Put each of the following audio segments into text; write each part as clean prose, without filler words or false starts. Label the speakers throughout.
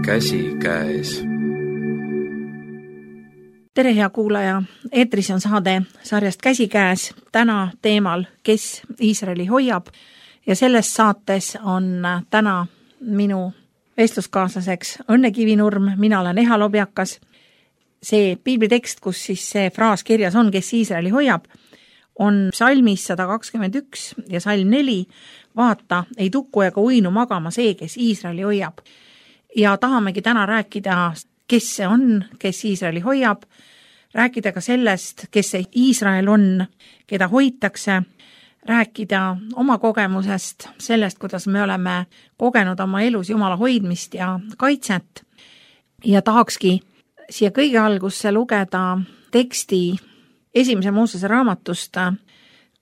Speaker 1: käsikäes.
Speaker 2: Tere, hea kuulaja! Eetris on saade sarjast Käsikäes, täna teemal Kes Iisraeli hoiab, ja selles saates on täna minu vestluskaaslaseks Õnne Kivinurm, mina olen Eha Lobjakas. See piiblitekst, kus siis see fraas kirjas on, Kes Iisraeli hoiab, on psalmis 121 ja salm 4, vaata, ei tukku ega uinu magama see, kes Iisraeli hoiab. Ja tahamegi täna rääkida, kes see on, kes Iisraeli hoiab, rääkida ka sellest, kes see Iisrael on, keda hoitakse, rääkida oma kogemusest, sellest, kuidas me oleme kogenud oma elus Jumala hoidmist ja kaitset. Ja tahakski siia kõige algusse lugeda teksti 1. Moosese raamatust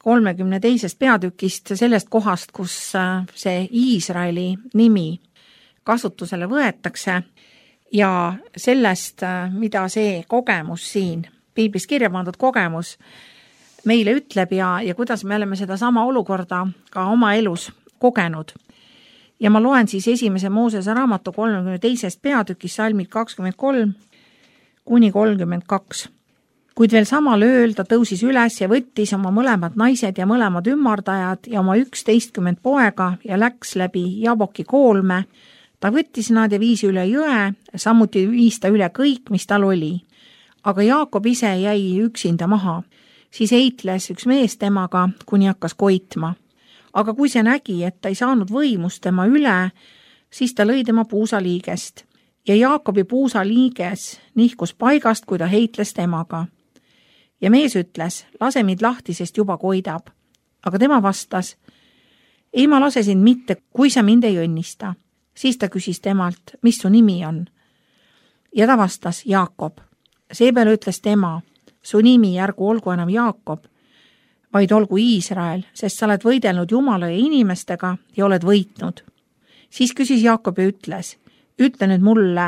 Speaker 2: 32. peatükist, sellest kohast, kus see Iisraeli nimi kasutusele võetakse ja sellest, mida see kogemus siin, piiblis kirja pandud kogemus, meile ütleb ja kuidas me oleme seda sama olukorda ka oma elus kogenud. Ja ma loen siis 1. Moosese raamatu 32. peatükis salmid 23 kuni 32. Kuid veel samal ööl ta tõusis üles ja võttis oma mõlemad naised ja mõlemad ümmardajad ja oma 11 poega ja läks läbi Jaboki koolme. Ta võttis nad ja viis üle jõe, samuti viis ta üle kõik, mis tal oli. Aga Jaakob ise jäi üksinda maha. Siis eitles üks mees temaga, kuni hakkas koitma. Aga kui see nägi, et ta ei saanud võimust tema üle, siis ta lõi tema puusaliigest. Ja Jaakobi puusaliiges nihkus paigast, kui ta heitles temaga. Ja mees ütles, lase mind lahti, sest juba koidab. Aga tema vastas, ei ma lase sind mitte, kui sa mind ei õnnista. Siis ta küsis temalt, mis su nimi on. Ja ta vastas, Jaakob. Seepeale ütles tema, su nimi ärgu olgu enam Jaakob, vaid olgu Iisrael, sest sa oled võidelnud Jumala ja inimestega ja oled võitnud. Siis küsis Jaakob ja ütles, ütle nüüd mulle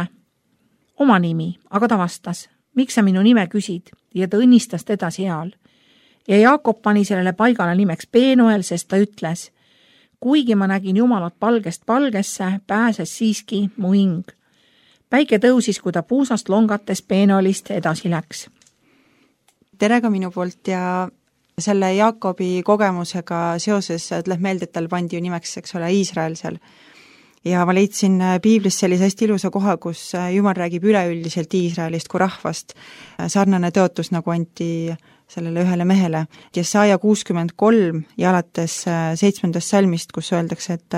Speaker 2: oma nimi, aga ta vastas, miks sa minu nime küsid, ja ta õnnistas teda seal. Ja Jaakob pani sellele paigale nimeks Penuel, sest ta ütles, kuigi ma nägin Jumalat palgest palgesse, pääses siiski mu hing. Päike tõusis, kui ta puusast longates Penuelist edasi läks.
Speaker 3: Tere ka minu poolt ja selle Jaakobi kogemusega seoses tuleb meelde, et tal pandi ju nimeks, eks ole, Iisrael seal. Ja ma leidsin piiblis sellise hästi ilusa koha, kus Jumal räägib üleüldiselt Iisraelist kui rahvast. Sarnane tõotus nagu anti sellele ühele mehele. Jesaja 63 ja alates 7. salmist, kus öeldakse, et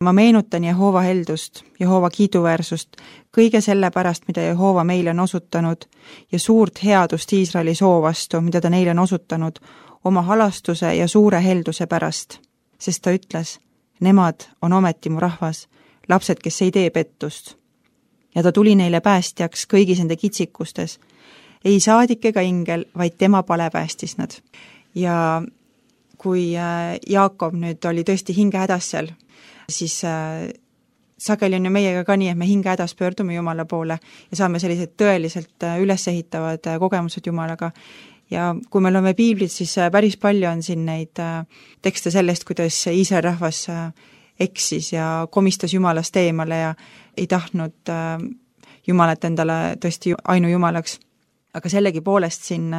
Speaker 3: ma meenutan Jehova heldust, Jehova kiiduväärsust, kõige selle pärast, mida Jehova meile on osutanud ja suurt headust Iisraeli soo vastu, mida ta neile on osutanud, oma halastuse ja suure helduse pärast. Sest ta ütles, nemad on ometi mu rahvas, lapsed, kes ei tee pettust. Ja ta tuli neile päästjaks kõigis nende kitsikustes. Ei saadik ega ingel, vaid tema pale päästis nad. Ja kui Jaakob nüüd oli tõesti hinge hädas seal, siis sageli on ju meiega ka nii, et me hinge hädas pöördume Jumala poole ja saame sellised tõeliselt ülesehitavad kogemused Jumalaga. Ja kui me loeme piiblit, siis päris palju on siin neid tekste sellest, kuidas Iisraeli rahvas eksis ja komistas Jumalast eemale ja ei tahtnud Jumalat endale tõesti ainu Jumalaks. Aga sellegi poolest siin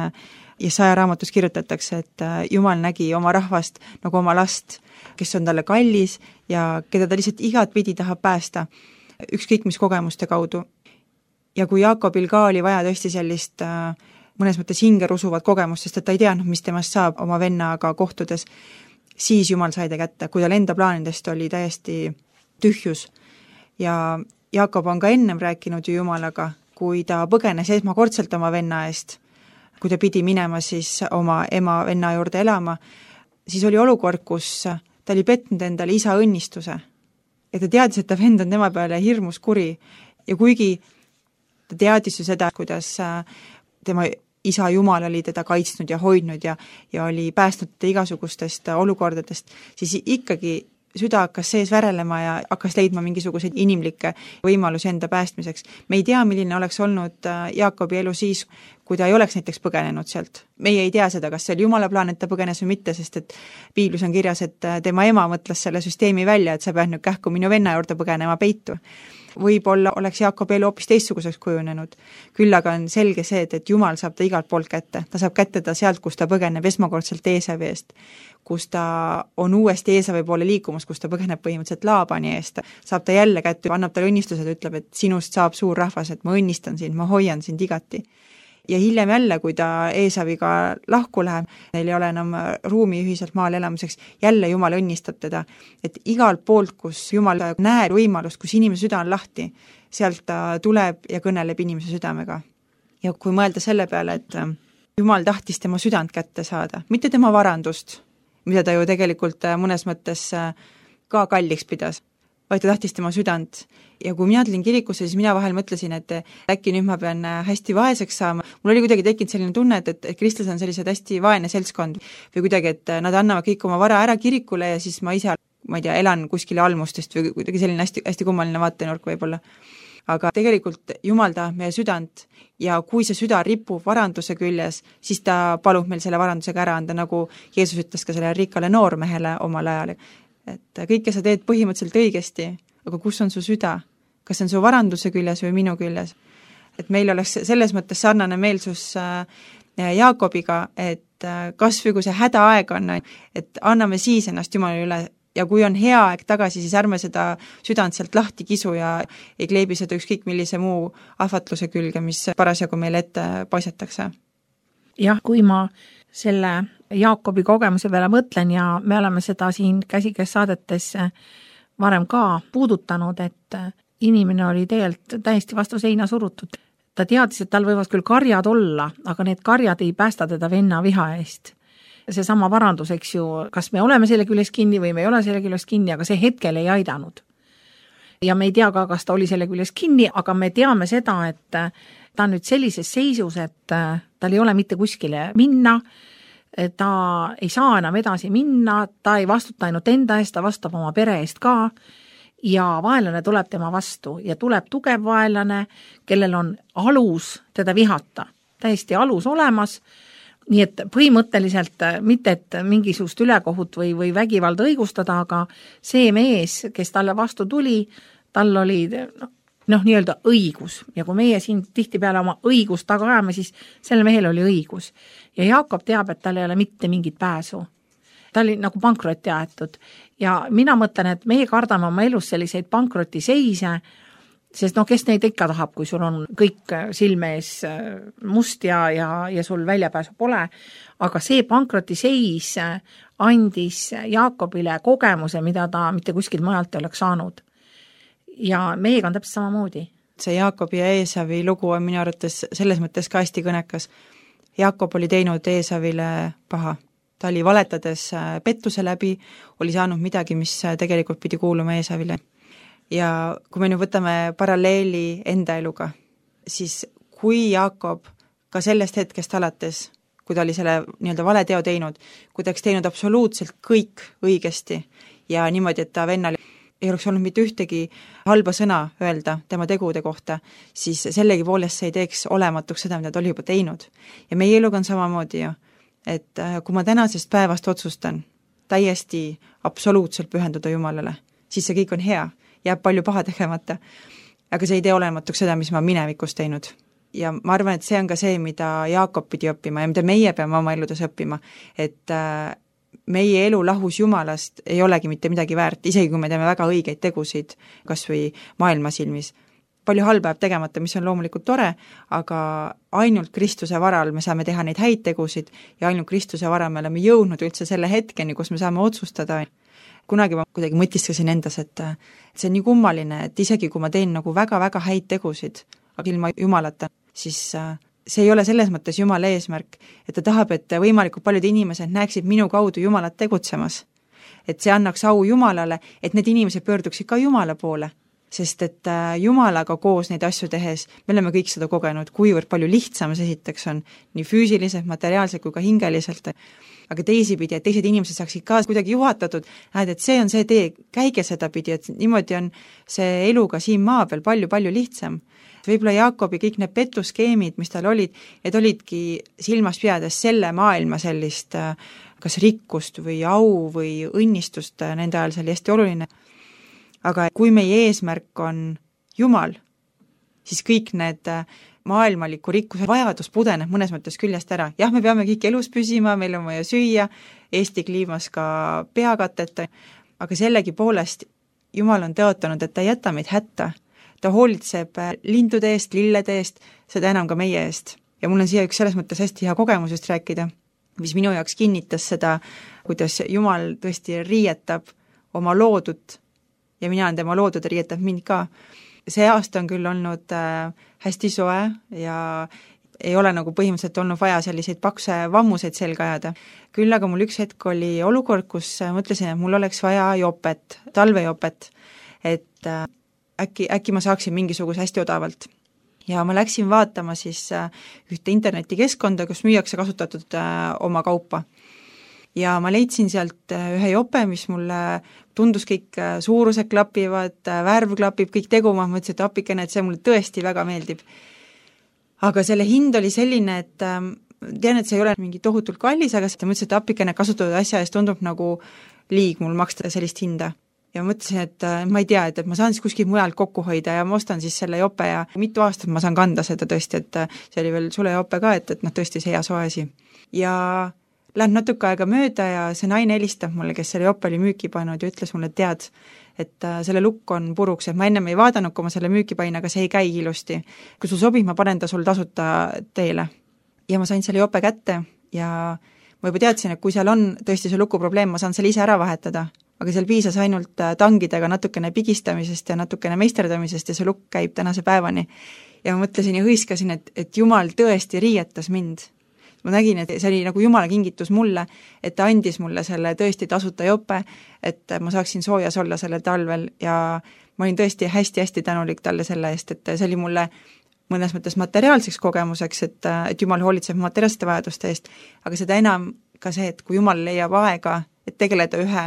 Speaker 3: Jesaja raamatus kirjutatakse, et Jumal nägi oma rahvast nagu oma last, kes on talle kallis ja keda ta lihtsalt igat pidi tahab päästa, ükskõik mis kogemuste kaudu. Ja kui Jaakobil ka oli vaja tõesti sellist mõnes mõttes hingerusuvat kogemust, sest et ta ei teadnud, mis temast saab oma vennaga kohtudes, siis Jumal sai ta kätte, kui tal enda plaanidest oli täiesti tühjus. Ja Jaakob on ka ennem rääkinud ju Jumalaga, kui ta põgenes esmakordselt oma venna eest, kui ta pidi minema siis oma ema venna juurde elama, siis oli olukord, kus ta oli petnud endale isa õnnistuse. Ja ta teadis, et ta vend on tema peale hirmus kuri. Ja kuigi ta teadis ju seda, kuidas tema isa Jumal oli teda kaitsnud ja hoidnud ja oli päästnud teda igasugustest olukordadest, siis ikkagi süda hakkas sees värelema ja hakkas leidma mingisuguseid inimlikke võimalusi enda päästmiseks. Me ei tea, milline oleks olnud Jaakobi elu siis, kui ta ei oleks näiteks põgenenud sealt. Meie ei tea seda, kas see oli Jumala plaan, et ta põgenes või mitte, sest et piiblis on kirjas, et tema ema mõtles selle süsteemi välja, et sa pead nüüd kähku minu venna juurde põgenema peitu. võib-olla oleks Jaakobi elu hoopis teistsuguseks kujunenud. Küll aga on selge see, et Jumal saab ta igalt poolt kätte. Ta saab kätte ta sealt, kus ta põgeneb esmakordselt Eesavi eest, kus ta on uuesti Eesavi poole liikumas, kus ta põgeneb põhimõtteliselt Laabani eest. Saab ta jälle kätte, annab talle õnnistused, ütleb, et sinust saab suur rahvas, et ma õnnistan sind, ma hoian sind igati. Ja hiljem jälle, kui ta Eesaviga lahku läheb, neil ei ole enam ruumi ühiselt maal elamiseks, jälle Jumal õnnistab teda. Et igalt poolt, kus Jumal näeb võimalust, kus inimese süda on lahti, sealt ta tuleb ja kõneleb inimese südamega. Ja kui mõelda selle peale, et Jumal tahtis tema südant kätte saada, mitte tema varandust, mida ta ju tegelikult mõnes mõttes ka kalliks pidas, vaid ta tahtis tema südant. Ja kui mina tulin kirikusse, siis mina vahel mõtlesin, et äkki nüüd ma pean hästi vaeseks saama. Mul oli kuidagi tekkinud selline tunne, et kristlased on sellised hästi vaene seltskond või kuidagi, et nad annavad kõik oma vara ära kirikule ja siis ma ise, ma ei tea, elan kuskile almustest või kuidagi selline hästi kummaline vaatenurk võib-olla. Aga tegelikult Jumal tahab meie südant ja kui see süda ripub varanduse küljes, siis ta palub meil selle varandusega ära anda, nagu Jeesus ütles ka selle rikkale noormehele omal ajal. Et kõike sa teed põhimõtteliselt õigesti, aga kus on su süda? Kas on su varanduse küljes või minu küljes? Et meil oleks selles mõttes sarnane meelsus Jaakobiga, et kas või kui see hädaaeg on, et anname siis ennast Jumala üle ja kui on hea aeg tagasi, siis ärme seda südant sealt lahti kisu ja ei kleebi seda ükskõik millise muu ahvatluse külge, mis parasjagu meile ette paisatakse.
Speaker 2: Jah, kui ma selle Jaakobi kogemuse peale mõtlen ja me oleme seda siin käsikäes saadetes varem ka puudutanud, et inimene oli tegelikult täiesti vastu seina surutud. Ta teadis, et tal võivad küll karjad olla, aga need karjad ei päästa teda venna viha eest. See sama varandus, eks ju, kas me oleme selle küljes kinni või me ei ole selle küljes kinni, aga see hetkel ei aidanud. Ja me ei tea ka, kas ta oli selle küljes kinni, aga me teame seda, et ta on nüüd sellises seisus, et tal ei ole mitte kuskile minna, ta ei saa enam edasi minna, ta ei vastuta ainult enda eest, ta vastab oma pere eest ka ja vaenlane tuleb tema vastu ja tuleb tugev vaenlane, kellel on alus teda vihata, täiesti alus olemas, nii et põhimõtteliselt mitte, et mingisugust ülekohut või vägivalda õigustada, aga see mees, kes talle vastu tuli, tal oli nii-öelda õigus ja kui meie siin tihtipeale oma õigust taga ajame, siis selle mehel oli õigus ja Jaakob teab, et tal ei ole mitte mingit pääsu. Ta oli nagu pankrotti aetud ja mina mõtlen, et meie kardame oma elus selliseid pankrotiseise, sest kes neid ikka tahab, kui sul on kõik silme ees must ja sul väljapääsu pole, aga see pankrotiseis andis Jaakobile kogemuse, mida ta mitte kuskilt majalt ei oleks saanud. Ja meiega on täpselt samamoodi.
Speaker 3: See Jaakobi ja Eesavi lugu on minu arvates selles mõttes ka hästi kõnekas. Jaakob oli teinud Eesavile paha. Ta oli valetades pettuse läbi, oli saanud midagi, mis tegelikult pidi kuuluma Eesavile. Ja kui me nüüd võtame paralleeli enda eluga, siis kui Jaakob ka sellest hetkest alates, kui ta oli selle nii-öelda valeteo teinud, kui ta oleks teinud absoluutselt kõik õigesti ja niimoodi, et ta vennal ei oleks olnud mitte ühtegi halba sõna öelda tema tegude kohta, siis sellegi poolest see ei teeks olematuks seda, mida ta oli juba teinud. Ja meie eluga on samamoodi ju, et kui ma tänasest päevast otsustan täiesti absoluutselt pühenduda Jumalale, siis see kõik on hea, jääb palju paha tegemata, aga see ei tee olematuks seda, mis ma minevikus teinud. Ja ma arvan, et see on ka see, mida Jaakob pidi õppima ja mida meie peame oma eludes õppima, et meie elu lahus Jumalast ei olegi mitte midagi väärt, isegi kui me teeme väga õigeid tegusid, kas või maailma silmis. Palju halba jääb tegemata, mis on loomulikult tore, aga ainult Kristuse varal me saame teha neid häid tegusid ja ainult Kristuse varal me oleme jõudnud üldse selle hetkeni, kus me saame otsustada. Kunagi ma kuidagi mõtiskasin endas, et see on nii kummaline, et isegi kui ma teen nagu väga-väga häid tegusid, aga ilma Jumalata, siis see ei ole selles mõttes Jumala eesmärk, et ta tahab, et võimalikult paljud inimesed näeksid minu kaudu Jumalat tegutsemas. Et see annaks au Jumalale, et need inimesed pöörduksid ka Jumala poole, sest et Jumalaga koos neid asju tehes, me oleme kõik seda kogenud, kuivõrd palju lihtsam see esiteks on, nii füüsiliselt, materiaalselt kui ka hingeliselt, aga teisipidi, et teised inimesed saaksid ka kuidagi juhatatud, et see on see tee, käige seda pidi, et niimoodi on see eluga siin maa peal palju-palju lihtsam. Võib-olla Jaakobi kõik need petuskeemid, mis tal olid, et olidki silmas pidades selle maailma sellist kas rikkust või au või õnnistust nende ajal, see oli hästi oluline. Aga kui meie eesmärk on Jumal, siis kõik need maailmaliku rikkuse vajadus pudeneb mõnes mõttes küljest ära. Jah, me peame kõik elus püsima, meil on vaja süüa, Eesti kliimas ka peakatet, aga sellegi poolest Jumal on tõotanud, et ta ei jäta meid hätta. Ta hoolitseb lindude eest, lillede eest, seda enam ka meie eest. Ja mul on siia üks selles mõttes hästi hea kogemusest rääkida, mis minu jaoks kinnitas seda, kuidas Jumal tõesti riietab oma loodut ja mina olen tema loodud ja riietab mind ka. See aasta on küll olnud hästi soe ja ei ole nagu põhimõtteliselt olnud vaja selliseid pakse vammuseid selga ajada. Küll aga mul üks hetk oli olukord, kus mõtlesin, et mul oleks vaja jopet, talvejopet, et äkki ma saaksin mingisuguse hästi odavalt. Ja ma läksin vaatama siis ühte internetikeskkonda, kus müüakse kasutatud oma kaupa. Ja ma leidsin sealt ühe jope, mis mulle tundus kõik suurused klapivad, värv klapib, kõik tegu, ma mõtlesin, et apikene, et see mulle tõesti väga meeldib. Aga selle hind oli selline, et tean, et see ei ole mingi tohutult kallis, aga mõtlesin, et apikene kasutatud asja eest tundub nagu liig mul maksta sellist hinda. Ja mõtlesin, et ma ei tea, et ma saan siis kuskil mujalt kokku hoida ja ma ostan siis selle jope ja mitu aastat ma saan kanda seda tõesti, et see oli veel sulejope ka, et tõesti see hea soe asi. Ja lähen natuke aega mööda ja see naine helistab mulle, kes selle jope oli müüki pannud ja ütles mulle, tead, et selle lukk on puruks, et ma ennem ei vaadanud, kui ma selle müüki pain, aga see ei käi ilusti. Kui sul sobib, ma panen ta sul tasuta teele. Ja ma sain selle jope kätte ja ma juba teadsin, et kui seal on tõesti see lukuprobleem, ma saan selle ise ära vahetada. Aga seal piisas ainult tangidega natukene pigistamisest ja natukene meisterdamisest ja see lukk käib tänase päevani. Ja ma mõtlesin ja hõiskasin, et Jumal tõesti riietas mind. Ma nägin, et see oli nagu Jumala kingitus mulle, et ta andis mulle selle tõesti tasuta jope, et ma saaksin soojas olla sellel talvel ja ma olin tõesti hästi-hästi tänulik talle selle eest, et see oli mulle mõnes mõttes materiaalseks kogemuseks, et Jumal hoolitseb materiaalsete vajaduste eest, aga seda enam ka see, et kui Jumal leiab aega, et tegeleda ühe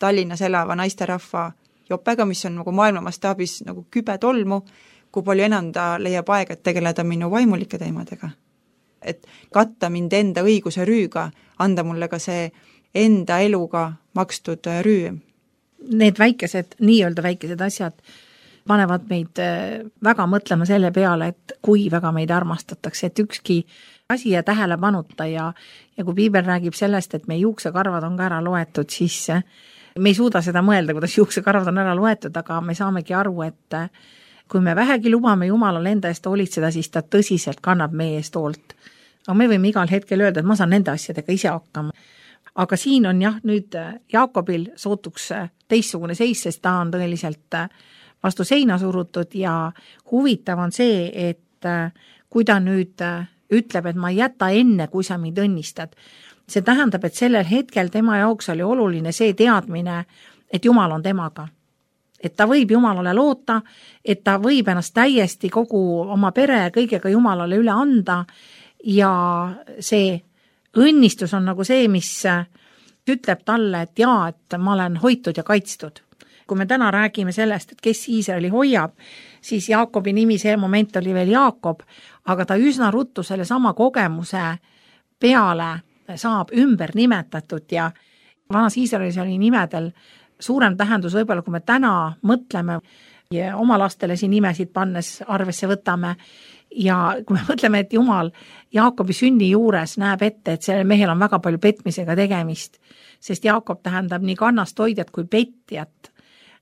Speaker 3: Tallinnas elava naisterahva jopega, mis on nagu maailma mastaabis nagu kübe tolmu, kui palju enam ta leiab aega, et tegeleda minu vaimulike teemadega. Et katta mind enda õiguse rüüga, anda mulle ka see enda eluga makstud rüü.
Speaker 2: Need väikesed, nii-öelda väikesed asjad panevad meid väga mõtlema selle peale, et kui väga meid armastatakse, et ükski asi ja tähelepanuta ja kui piibel räägib sellest, et meie juuksekarvad on ka ära loetud, siis me ei suuda seda mõelda, kuidas juuksekarvad on ära loetud, aga me saamegi aru, et kui me vähegi lubame Jumalal enda eest hoolitseda, siis ta tõsiselt kannab meie eest hoolt. Aga me võime igal hetkel öelda, et ma saan nende asjadega ise hakkama. Aga siin on jah, nüüd Jaakobil sootuks teistsugune seis, sest ta on tõeliselt vastu seina surutud ja huvitav on see, et kui ta nüüd ütleb, et ma ei jäta enne, kui sa mind õnnistad. See tähendab, et sellel hetkel tema jaoks oli oluline see teadmine, et Jumal on temaga. Et ta võib Jumalale loota, et ta võib ennast täiesti kogu oma pere kõigega Jumalale üle anda ja see õnnistus on nagu see, mis ütleb talle, et jaa, et ma olen hoitud ja kaitstud. Kui me täna räägime sellest, et kes Iisraeli hoiab, siis Jaakobi nimi see moment oli veel Jaakob, aga ta üsna ruttu selle sama kogemuse peale saab ümber nimetatud ja vanas Iisraelis oli nimedel suurem tähendus võib-olla, kui me täna mõtleme ja oma lastele siin nimesid pannes arvesse võtame ja kui me mõtleme, et Jumal Jaakobi sünni juures näeb ette, et sellel mehel on väga palju petmisega tegemist, sest Jaakob tähendab nii kannast hoidjat kui petjat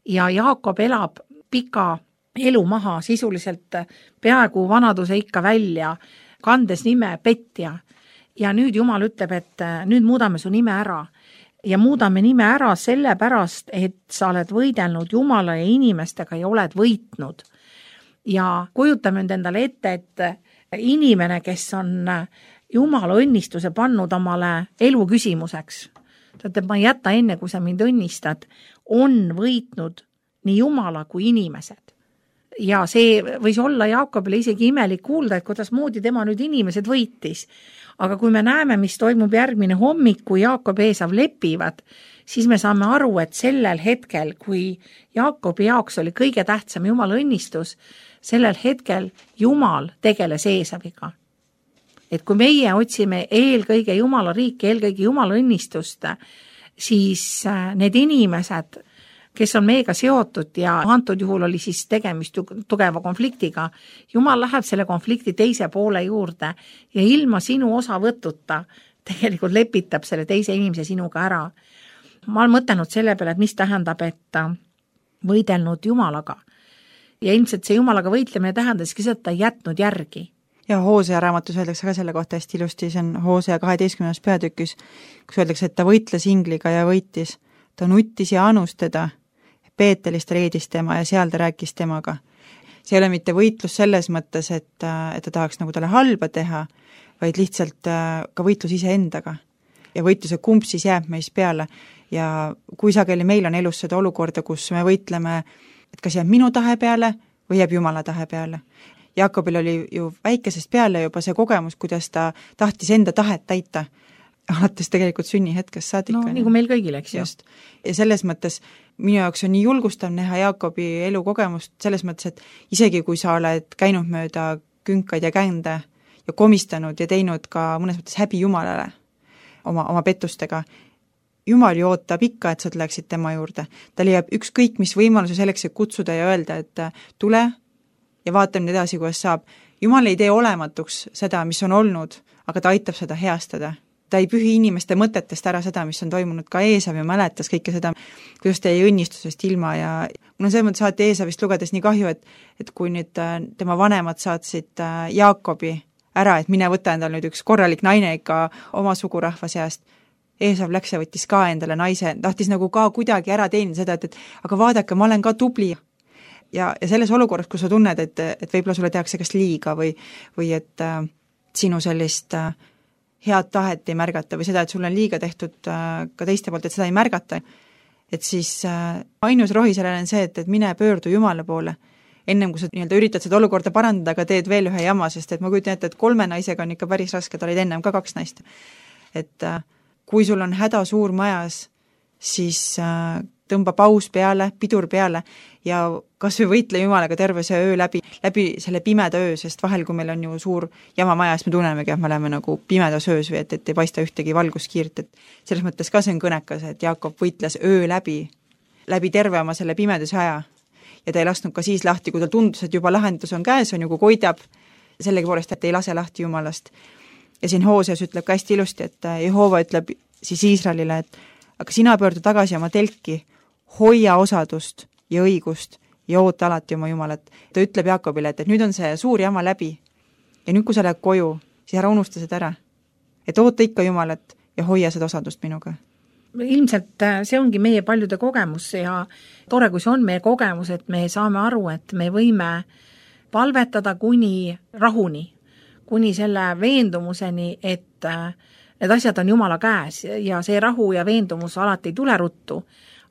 Speaker 2: ja Jaakob elab pika elu maha sisuliselt peaaegu vanaduse ikka välja, kandes nime petja. Ja nüüd Jumal ütleb, et nüüd muudame su nime ära ja muudame nime ära sellepärast, et sa oled võidelnud Jumala ja inimestega ja oled võitnud. Ja kujutame nüüd endale ette, et inimene, kes on Jumala õnnistuse pannud omale elu küsimuseks, et ma ei jäta enne, kui sa mind õnnistad, on võitnud nii Jumala kui inimesed. Ja see võis olla Jaakobile isegi imelik kuulda, et kuidas moodi tema nüüd inimesed võitis. Aga kui me näeme, mis toimub järgmine hommik, kui Jaakob ja Eesav lepivad, siis me saame aru, et sellel hetkel, kui Jaakobi jaoks oli kõige tähtsam Jumala õnnistus, sellel hetkel Jumal tegeles Eesaviga. Et kui meie otsime eelkõige Jumala riiki, eelkõige Jumala õnnistust, siis need inimesed kes on meiega seotud ja antud juhul oli siis tegemist tugeva konfliktiga. Jumal läheb selle konflikti teise poole juurde ja ilma sinu osavõtuta tegelikult lepitab selle teise inimese sinuga ära. Ma olen mõtelnud selle peale, et mis tähendab, et võidelnud Jumalaga. Ja ilmselt see Jumalaga võitlemine tähendaski seda, et ta ei jätnud järgi.
Speaker 3: Ja Hoosea raamatus öeldakse ka selle kohta hästi ilusti, see on Hoosea 12. peatükis, kus öeldakse, et ta võitles ingliga ja võitis. Ta nuttis ja anus teda, Peetelist reedis tema ja seal ta rääkis temaga. See ei ole mitte võitlus selles mõttes, et ta tahaks nagu talle halba teha, vaid lihtsalt ka võitlus iseendaga. Ja võitluse kumb siis jääb meis peale. Ja kui sageli meil on elus seda olukorda, kus me võitleme, et kas jääb minu tahe peale või jääb Jumala tahe peale. Jaakobil oli ju väikesest peale juba see kogemus, kuidas ta tahtis enda tahet täita, alates tegelikult sünnihetkest saadik.
Speaker 2: No nagu meil kõigil, eks ju.
Speaker 3: Just. Ja selles mõttes minu jaoks on nii julgustav näha Jaakobi elukogemust selles mõttes, et isegi kui sa oled käinud mööda künkaid ja kände ja komistanud ja teinud ka mõnes mõttes häbi Jumalale oma pettustega, Jumal ju ootab ikka, et sa tuleksid tema juurde. Ta leiab ükskõik mis võimaluse selleks, et kutsuda ja öelda, et tule ja vaatame nüüd edasi, kuidas saab. Jumal ei tee olematuks seda, mis on olnud, aga ta aitab seda heastada. Ta ei pühi inimeste mõtetest ära seda, mis on toimunud, ka Eesav ja mäletas kõike seda, kuidas ta jäi õnnistusest ilma ja mul on selles mõttes saati Eesavist lugedes nii kahju, et kui nüüd tema vanemad saatsid Jaakobi ära, et mine võta endal nüüd üks korralik naine ikka oma sugurahva seast, Eesav läks ja võttis ka endale naise, tahtis nagu ka kuidagi ära teenida seda, et aga vaadake, ma olen ka tubli. Ja selles olukorras, kus sa tunned, et võib-olla sulle tehakse kas liiga või et sinu sellist head tahet ei märgata või seda, et sul on liiga tehtud ka teiste poolt, et seda ei märgata, et siis ainus rohi sellele on see, et mine pöördu Jumala poole, ennem kui sa nii-öelda üritad seda olukorda parandada, aga teed veel ühe jama, sest et ma kujutan ette, et 3 naisega on ikka päris raske, ta olid ennem ka 2 naist. Et kui sul on häda suur majas, siis tõmba paus peale, pidur peale ja kas või võitle Jumalaga terve see öö läbi selle pimeda öö, sest vahel, kui meil on ju suur jama majas, me tunnemegi, et me oleme nagu pimedas öös või et ei paista ühtegi valguskiirt, et selles mõttes ka see on kõnekas, et Jaakob võitles öö läbi terve oma selle pimeduse aja ja ta ei lasknud ka siis lahti, kui tal tundus, et juba lahendus on käes, on ju, kui koidab sellegipoolest, et ei lase lahti Jumalast. Ja siin Hooseas ütleb ka hästi ilusti, et Jehova ütleb siis Iisraelile, et aga sina pöördu tagasi oma telki, hoia osadust ja õigust ja oota alati oma Jumalat. Ta ütleb Jaakobile, et nüüd on see suur jama läbi ja nüüd, kui sa lähed koju, siis ära unusta seda ära. Et oota ikka Jumalat ja hoia seda osadust minuga.
Speaker 2: Ilmselt see ongi meie paljude kogemus ja tore, kui see on meie kogemus, et me saame aru, et me võime palvetada kuni rahuni, kuni selle veendumuseni, et need asjad on Jumala käes ja see rahu ja veendumus alati ei tule ruttu,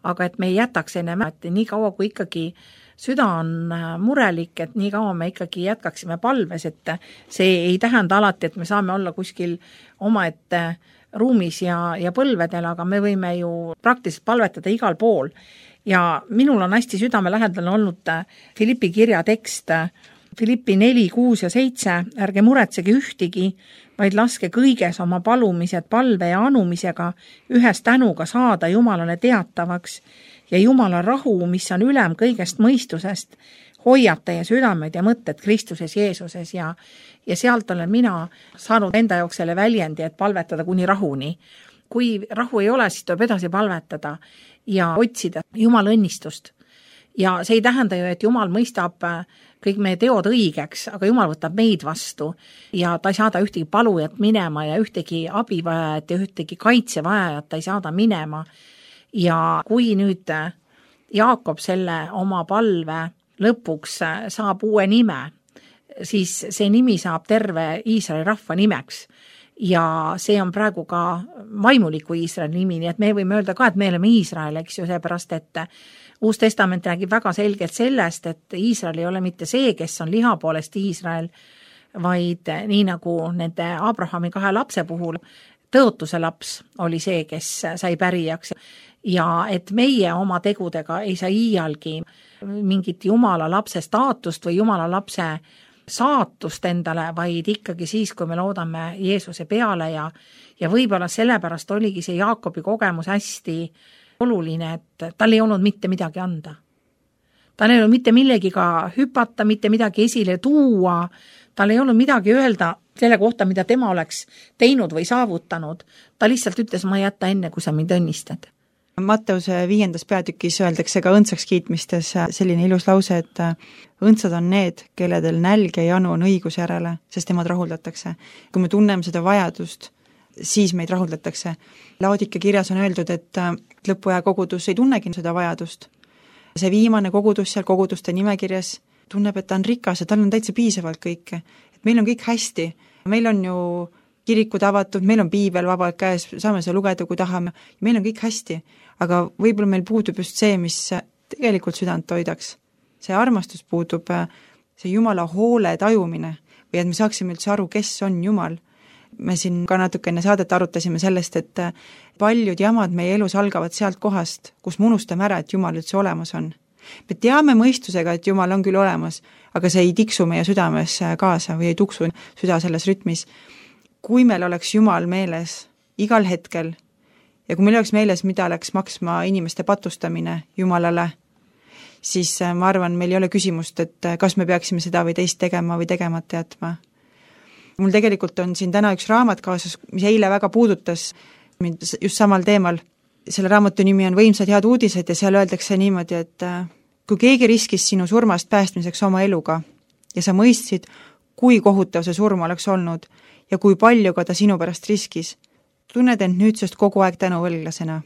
Speaker 2: aga et me ei jätaks ennem, et nii kaua kui ikkagi süda on murelik, et nii kaua me ikkagi jätkaksime palves, et see ei tähenda alati, et me saame olla kuskil omaette ruumis ja põlvedel, aga me võime ju praktiliselt palvetada igal pool. Ja minul on hästi südamelähedane olnud Filippi kirja tekst, Filippi 4, 6 ja 7, ärge muretsege ühtigi, vaid laske kõiges oma palumised palve ja anumisega ühes tänuga saada Jumalale teatavaks ja Jumala rahu, mis on ülem kõigest mõistusest, hoiab teie südamed ja mõtted Kristuses Jeesuses ja sealt olen mina saanud enda jaoks selle väljendi, et palvetada kuni rahuni. Kui rahu ei ole, siis tuleb edasi palvetada ja otsida Jumala õnnistust. Ja see ei tähenda ju, et Jumal mõistab kõik meie teod õigeks, aga Jumal võtab meid vastu ja ta ei saada ühtegi palujat minema ja ühtegi abivajajat ja ühtegi kaitsevajajat ta ei saada minema. Ja kui nüüd Jaakob selle oma palve lõpuks saab uue nime, siis see nimi saab terve Iisraeli rahva nimeks. Ja see on praegu ka vaimuliku Iisraeli nimi, nii et me võime öelda ka, et me oleme Iisrael, eks ju, seepärast, et Uus Testament räägib väga selgelt sellest, et Iisrael ei ole mitte see, kes on liha poolest Iisrael, vaid nii nagu nende Abrahami 2 lapse puhul, tõotuse laps oli see, kes sai pärijaks. Ja et meie oma tegudega ei saa iialgi mingit Jumala lapse staatust või Jumala lapse saatust endale, vaid ikkagi siis, kui me loodame Jeesuse peale ja võib-olla sellepärast oligi see Jaakobi kogemus hästi oluline, et tal ei olnud mitte midagi anda. Tal ei olnud mitte millegiga hüpata, mitte midagi esile tuua, tal ei olnud midagi öelda selle kohta, mida tema oleks teinud või saavutanud. Ta lihtsalt ütles, ma ei jäta enne, kui sa mind õnnistad.
Speaker 3: Matteuse 5. peatükis öeldakse ka õndsaks kiitmistes selline ilus lause, et õndsad on need, kelledel nälg ja janu on õiguse järele, sest nemad rahuldatakse. Kui me tunneme seda vajadust, siis meid rahuldatakse. Laodike kirjas on öeldud, et lõpuaja kogudus ei tunnegi seda vajadust. See viimane kogudus seal koguduste nimekirjas tunneb, et ta on rikas ja tal on täitsa piisavalt kõike. Et meil on kõik hästi, meil on ju kirikud avatud, meil on piibel vabalt käes, saame seda lugeda, kui tahame, meil on kõik hästi, aga võib-olla meil puudub just see, mis tegelikult südant toidaks. See armastus puudub, see Jumala hoole tajumine või et me saaksime üldse aru, kes on Jumal. Me siin ka natuke enne saadet arutasime sellest, et paljud jamad meie elus algavad sealt kohast, kus me unustame ära, et Jumal üldse olemas on. Me teame mõistusega, et Jumal on küll olemas, aga see ei tiksu meie südames kaasa või ei tuksu süda selles rütmis. Kui meil oleks Jumal meeles igal hetkel ja kui meil oleks meeles, mida läks maksma inimeste patustamine Jumalale, siis ma arvan, meil ei ole küsimust, et kas me peaksime seda või teist tegema või tegemata jätma. Mul tegelikult on siin täna üks raamat kaasas, mis eile väga puudutas mind just samal teemal. Selle raamatu nimi on Võimsad head uudised ja seal öeldakse niimoodi, et kui keegi riskis sinu surmast päästmiseks oma eluga ja sa mõistsid, kui kohutav see surm oleks olnud ja kui palju ka ta sinu pärast riskis, tunned end nüüdsest kogu aeg tänuvõlglasena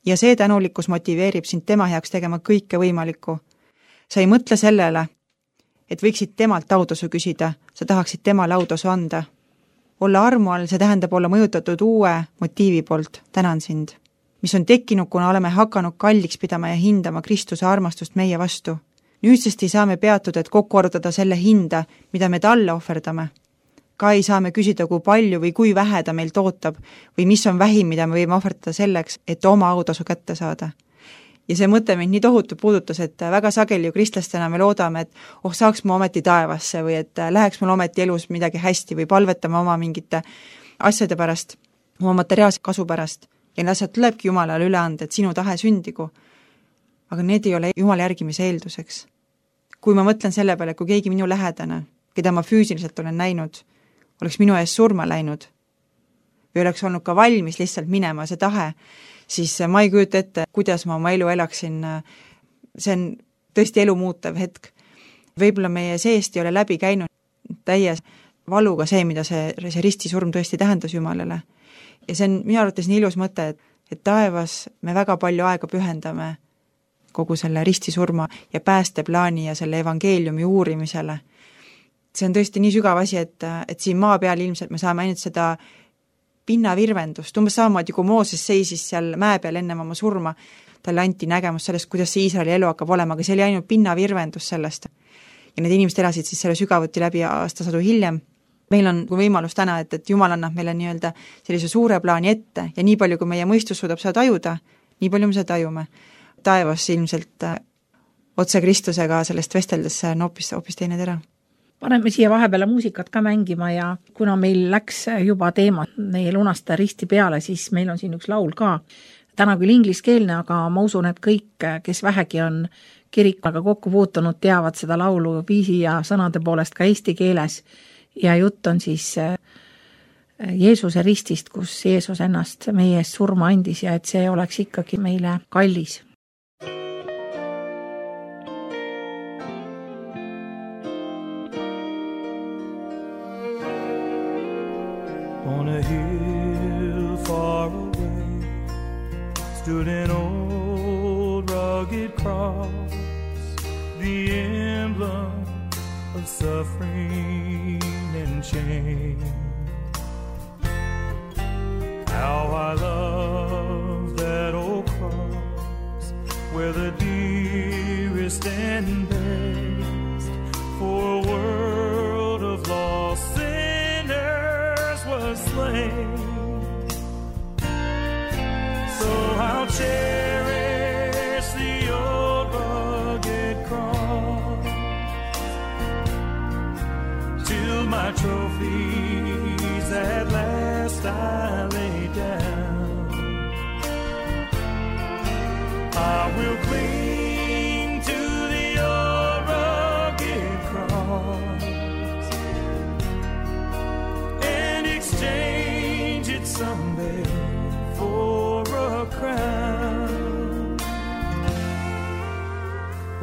Speaker 3: ja see tänulikkus motiveerib sind tema heaks tegema kõike võimalikku. Sa ei mõtle sellele, et võiksid temalt audasu küsida, sa tahaksid temale audasu anda. Olla armu all, see tähendab olla mõjutatud uue motiivi poolt, tänan sind, mis on tekkinud, kuna oleme hakanud kalliks pidama ja hindama Kristuse armastust meie vastu. Nüüdsest ei saa me peatuda, et kokku arvutada selle hinda, mida me talle ohverdame. Ka ei saa me küsida, kui palju või kui vähe ta meil tootab või mis on vähim, mida me võime ohverdada selleks, et oma autasu kätte saada. Ja see mõte mind nii tohutu puudutas, et väga sageli ju kristlastena me loodame, et saaks ma ometi taevasse või et läheks mul ometi elus midagi hästi või palvetame oma mingite asjade pärast, oma materiaalse kasu pärast. Ja need asjad tulebki Jumalale üle anda, et sinu tahe sündigu. Aga need ei ole Jumala järgimise eelduseks. Kui ma mõtlen selle peale, kui keegi minu lähedane, keda ma füüsiliselt olen näinud, oleks minu ees surma läinud või oleks olnud ka valmis lihtsalt minema see tahe, siis ma ei kujuta ette, kuidas ma oma elu elaksin. See on tõesti elu muutev hetk. Võib-olla meie seest ei ole läbi käinud täie valuga see, mida see ristisurm tõesti tähendas Jumalale. Ja see on minu arvates nii ilus mõte, et taevas me väga palju aega pühendame kogu selle ristisurma ja päästeplaani ja selle evangeeliumi uurimisele. See on tõesti nii sügav asi, et siin maa peal ilmselt me saame ainult seda pinnavirvendust, umbes samamoodi, kui Mooses seisis seal mäe peal ennem oma surma, talle anti nägemus sellest, kuidas see Iisraeli elu hakkab olema, aga see oli ainult pinnavirvendus sellest. Ja need inimesed elasid siis selle sügavuti läbi aastasadu hiljem. Meil on võimalus täna, et Jumal annab meile nii-öelda sellise suure plaani ette ja nii palju, kui meie mõistus suudab seda tajuda, nii palju me seda tajume. Taevas ilmselt otse Kristusega sellest vesteldes on hoopis teine tera.
Speaker 2: Paneme siia vahepeale muusikat ka mängima ja kuna meil läks juba teema meie lunasta risti peale, siis meil on siin üks laul ka. Täna küll ingliskeelne, aga ma usun, et kõik, kes vähegi on kirikuga kokku puutunud, teavad seda laulu viisi ja sõnade poolest ka eesti keeles. Ja jutt on siis Jeesuse ristist, kus Jeesus ennast meie eest surma andis ja et see oleks ikkagi meile kallis.
Speaker 1: On a hill far away stood an old rugged cross, the emblem of suffering and shame. How I love that old cross, where the dearest and best for a world of lost sinners was slain. So I'll cherish the old rugged cross till my trophies at last I lay down.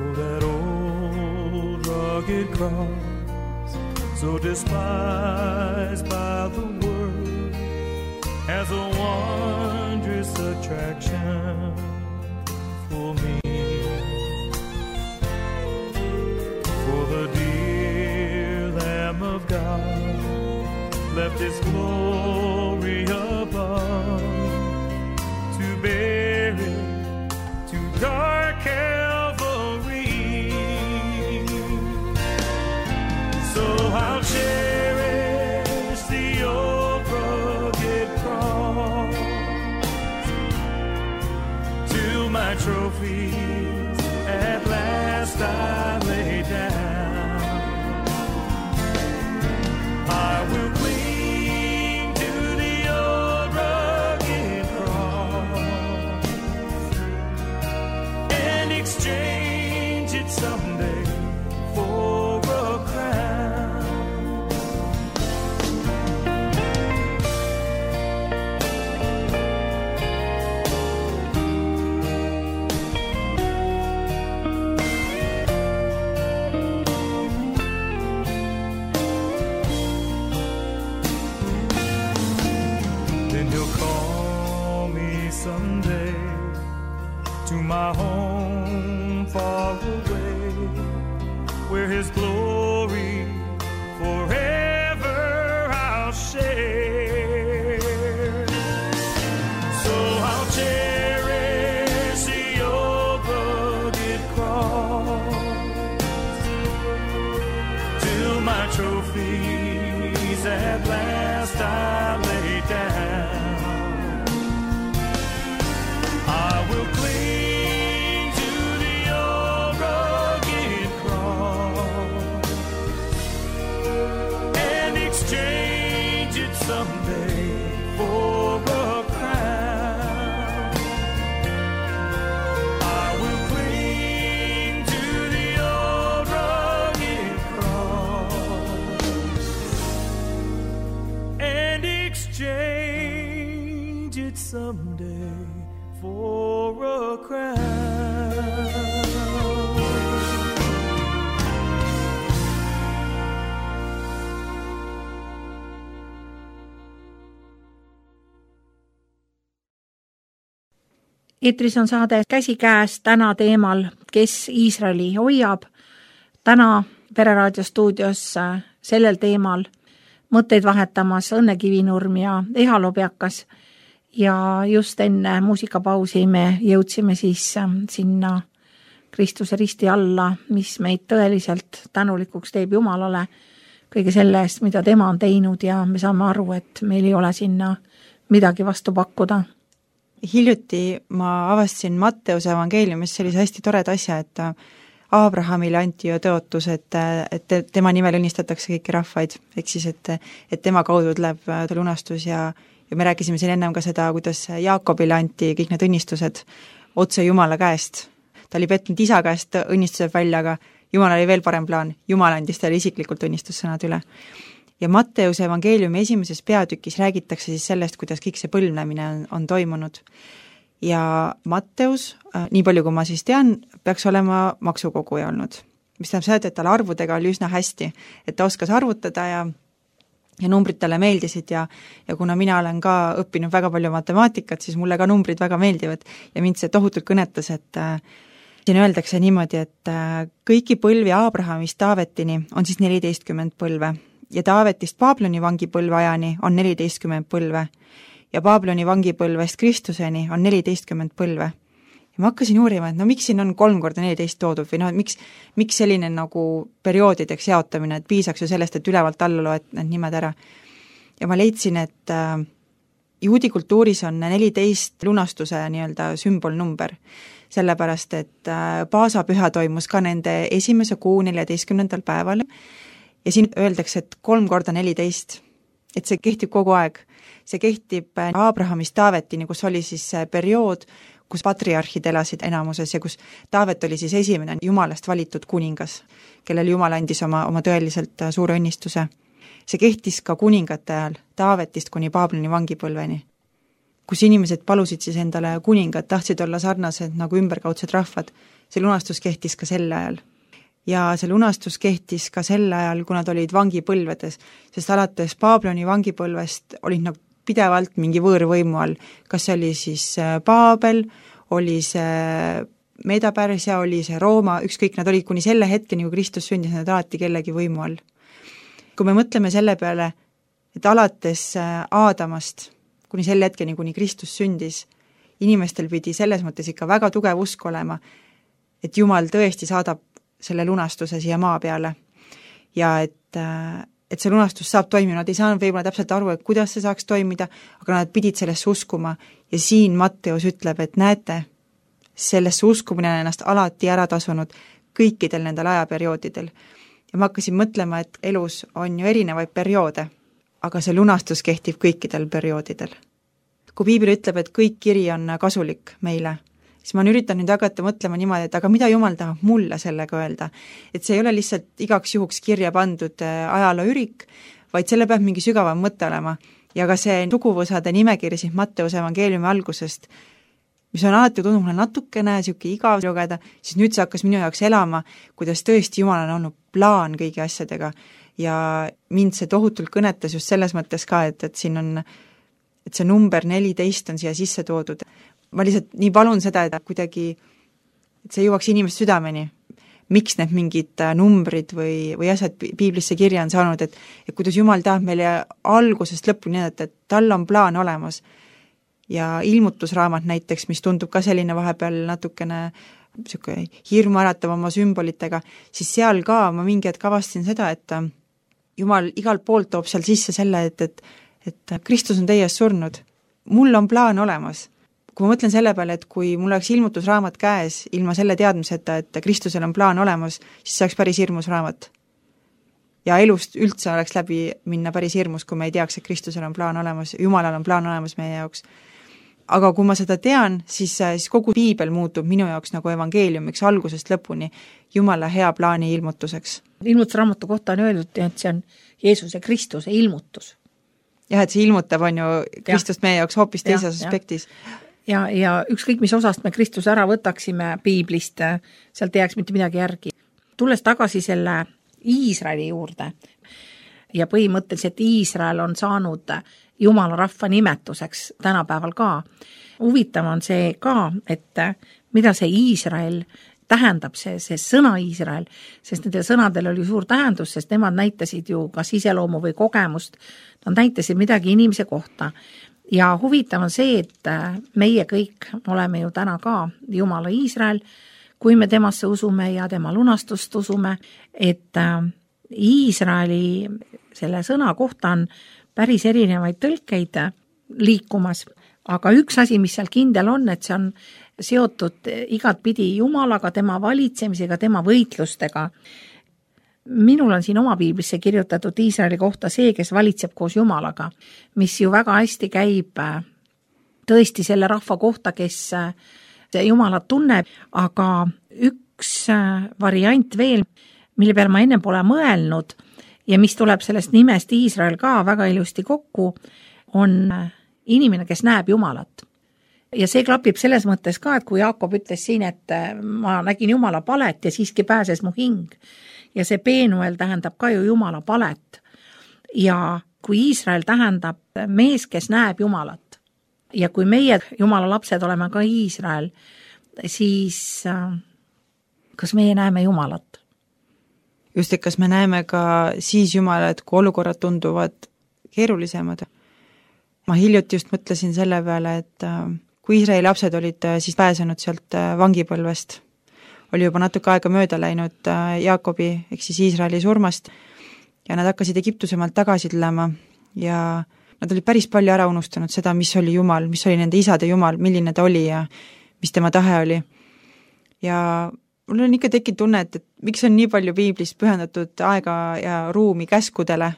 Speaker 1: for that old rugged cross, so despised by the world, as a wondrous attraction for me. For the dear Lamb of God left His glory above to bear it to dark Calvary. So I'll cherish the old rugged cross till my trophies at last I lay down. I will cling to the old rugged cross and exchange it someday for a crown. Then He'll call me someday to my home far away, where His glory forever I'll share. So I'll cherish the old rugged cross till my trophies at last I lay down. I will cling to the old rugged cross and exchange it someday for a crown. I will cling to the old rugged cross and exchange it someday for a crown.
Speaker 2: Eetris on saade Käsikäes täna teemal, kes Iisraeli hoiab. Täna Pereraadio stuudios sellel teemal mõtteid vahetamas Õnne Kivinurm ja Eha Lobjakas. Ja just enne muusikapausi me jõudsime siis sinna Kristuse risti alla, mis meid tõeliselt tänulikuks teeb Jumalale kõige selle eest, mida tema on teinud, ja me saame aru, et meil ei ole sinna midagi vastu pakkuda.
Speaker 3: Hiljuti ma avastasin Matteuse evangeeliumis sellise hästi toreda asja, et Abrahamile anti ju tõotus, et tema nimel õnnistatakse kõiki rahvaid, ehk siis, et tema kaudu tuleb lunastus ja me rääkisime siin ennem ka seda, kuidas Jaakobile anti kõik need õnnistused otse Jumala käest. Ta oli petnud isa käest õnnistused välja, aga Jumal oli veel parem plaan. Jumal andis talle isiklikult õnnistussõnad üle. Ja Matteuse evangeeliumi esimeses peatükis räägitakse siis sellest, kuidas kõik see põlvnemine on toimunud. Ja Matteus, nii palju kui ma siis tean, peaks olema maksukoguja olnud. Mis tähendab seda, et tal arvudega oli üsna hästi, et ta oskas arvutada ja numbrid talle meeldisid ja kuna mina olen ka õppinud väga palju matemaatikat, siis mulle ka numbrid väga meeldivad ja mind see tohutult kõnetas, et siin öeldakse niimoodi, et kõiki põlvi Abrahamist Taavetini on siis 14 põlve ja Taavetist Paabloni vangipõlve ajani on 14 põlve ja Paabloni vangipõlvest Kristuseni on 14 põlve. Ja ma hakkasin uurima, et miks siin on 3 × 14 toodud või miks selline nagu perioodideks jaotamine, et piisaks ju sellest, et ülevalt alla loed need nimed ära. Ja ma leidsin, et juudi kultuuris on 14 lunastuse nii-öelda sümbolnumber, sellepärast et paasapüha toimus ka nende esimese kuu 14. päeval ja siin öeldakse, et 3 × 14, et see kehtib kogu aeg. See kehtib Abrahamist Taavetini, kus oli siis see periood, kus patriarhid elasid enamuses ja kus Taavet oli siis esimene Jumalast valitud kuningas, kellel Jumal andis oma tõeliselt suure õnnistuse. See kehtis ka kuningate ajal, Taavetist kuni Paabloni vangipõlveni. kus inimesed palusid siis endale kuningat, tahtsid olla sarnased nagu ümberkaudsed rahvad. See lunastus kehtis ka sel ajal. Ja see lunastus kehtis ka sel ajal, kui nad olid vangipõlvedes, sest alates Baabloni vangipõlvest olid nad pidevalt mingi võõrvõimu all. Kas see oli siis Baabel, oli see Meeda-Pärsia, oli see Rooma, ükskõik, nad olid kuni selle hetkeni, kui Kristus sündis, nad alati kellegi võimu all. Kui me mõtleme selle peale, et alates Aadamast kuni selle hetkeni, kuni Kristus sündis, inimestel pidi selles mõttes ikka väga tugev usk olema, et Jumal tõesti saadab selle lunastuse siia maa peale ja et see lunastus saab toimima, nad ei saanud võib-olla täpselt aru, et kuidas see saaks toimida, aga nad pidid sellesse uskuma ja siin Matteus ütleb, et näete, sellesse uskumine on ennast alati ära tasunud kõikidel nendel ajaperioodidel. Ja ma hakkasin mõtlema, et elus on ju erinevaid perioode, aga see lunastus kehtib kõikidel perioodidel. Kui piibel ütleb, et kõik kiri on kasulik meile, siis ma üritan nüüd hakata mõtlema niimoodi, et aga mida Jumal tahab mulle sellega öelda. Et see ei ole lihtsalt igaks juhuks kirja pandud ajalooürik, vaid selle peab mingi sügavam mõte olema. Ja ka see suguvõsade nimekiri siin Matteuse evangeeliumi algusest, mis on alati tundnud mulle natukene siuke igav lugeda, siis nüüd see hakkas minu jaoks elama, kuidas tõesti Jumal on olnud plaan kõigi asjadega ja mind see tohutult kõnetas just selles mõttes ka, et siin on, et see number 14 on siia sisse toodud. Ma lihtsalt nii palun seda, et kuidagi, et see jõuaks inimest südameni, miks need mingid numbrid või asjad piiblisse kirja on saanud, et kuidas Jumal tahab meile algusest lõpuni, et tal on plaan olemas. Ja ilmutusraamat näiteks, mis tundub ka selline vahepeal natukene hirmu äratav oma sümbolitega, siis seal ka ma mingi hetk avastasin seda, et Jumal igalt poolt toob seal sisse selle, et Kristus on teie ees surnud. Mul on plaan olemas. Kui ma mõtlen selle peale, et kui mul oleks ilmutusraamat käes ilma selle teadmiseta, et Kristusel on plaan olemas, siis see oleks päris hirmus raamat. Ja elust üldse oleks läbi minna päris hirmus, kui me ei teaks, et Kristusel on plaan olemas, Jumalal on plaan olemas meie jaoks. Aga kui ma seda tean, siis kogu piibel muutub minu jaoks nagu evangeeliumiks algusest lõpuni Jumala hea plaani ilmutuseks.
Speaker 2: Ilmutusraamatu kohta on öeldud, et see on Jeesuse Kristuse ilmutus.
Speaker 3: Jah, et see ilmutab on ju Kristust meie jaoks hoopis teises aspektis.
Speaker 2: Ja ükskõik, mis osast me Kristuse ära võtaksime piiblist, sealt ei jääks mitte midagi järgi. Tulles tagasi selle Iisraeli juurde ja põhimõtteliselt Iisrael on saanud Jumala rahva nimetuseks tänapäeval ka. Huvitav on see ka, et mida see Iisrael tähendab, see sõna Iisrael, sest nende sõnadel oli suur tähendus, sest nemad näitasid ju kas iseloomu või kogemust, nad näitasid midagi inimese kohta. Ja huvitav on see, et meie kõik oleme ju täna ka Jumala Iisrael, kui me temasse usume ja tema lunastust usume, et Iisraeli selle sõna kohta on päris erinevaid tõlkeid liikumas, aga üks asi, mis seal kindel on, et see on seotud igatpidi Jumalaga, tema valitsemisega, tema võitlustega. Minul on siin oma piiblisse kirjutatud Iisraeli kohta see, kes valitseb koos Jumalaga, mis ju väga hästi käib tõesti selle rahva kohta, kes Jumalat tunneb, aga üks variant veel, mille peale ma enne pole mõelnud ja mis tuleb sellest nimest Iisrael ka väga ilusti kokku, on inimene, kes näeb Jumalat. Ja see klapib selles mõttes ka, et kui Jaakob ütles siin, et ma nägin Jumala palet ja siiski pääses mu hing. Ja see Peenuel tähendab ka ju Jumala palet. Ja kui Iisrael tähendab mees, kes näeb Jumalat. Ja kui meie Jumala lapsed oleme ka Iisrael, siis kas meie näeme Jumalat?
Speaker 3: Just, et kas me näeme ka siis Jumalat, kui olukorrad tunduvad keerulisemad. Ma hiljuti just mõtlesin selle peale, et kui Iisraeli lapsed olid siis pääsenud sealt vangipõlvest, oli juba natuke aega mööda läinud Jaakobi, ehk siis Iisraeli surmast, ja nad hakkasid Egiptusemaalt tagasi tulema ja nad olid päris palju ära unustanud seda, mis oli Jumal, mis oli nende isade Jumal, milline ta oli ja mis tema tahe oli. Ja mul on ikka tekkinud tunne, et miks on nii palju piiblis pühendatud aega ja ruumi käskudele,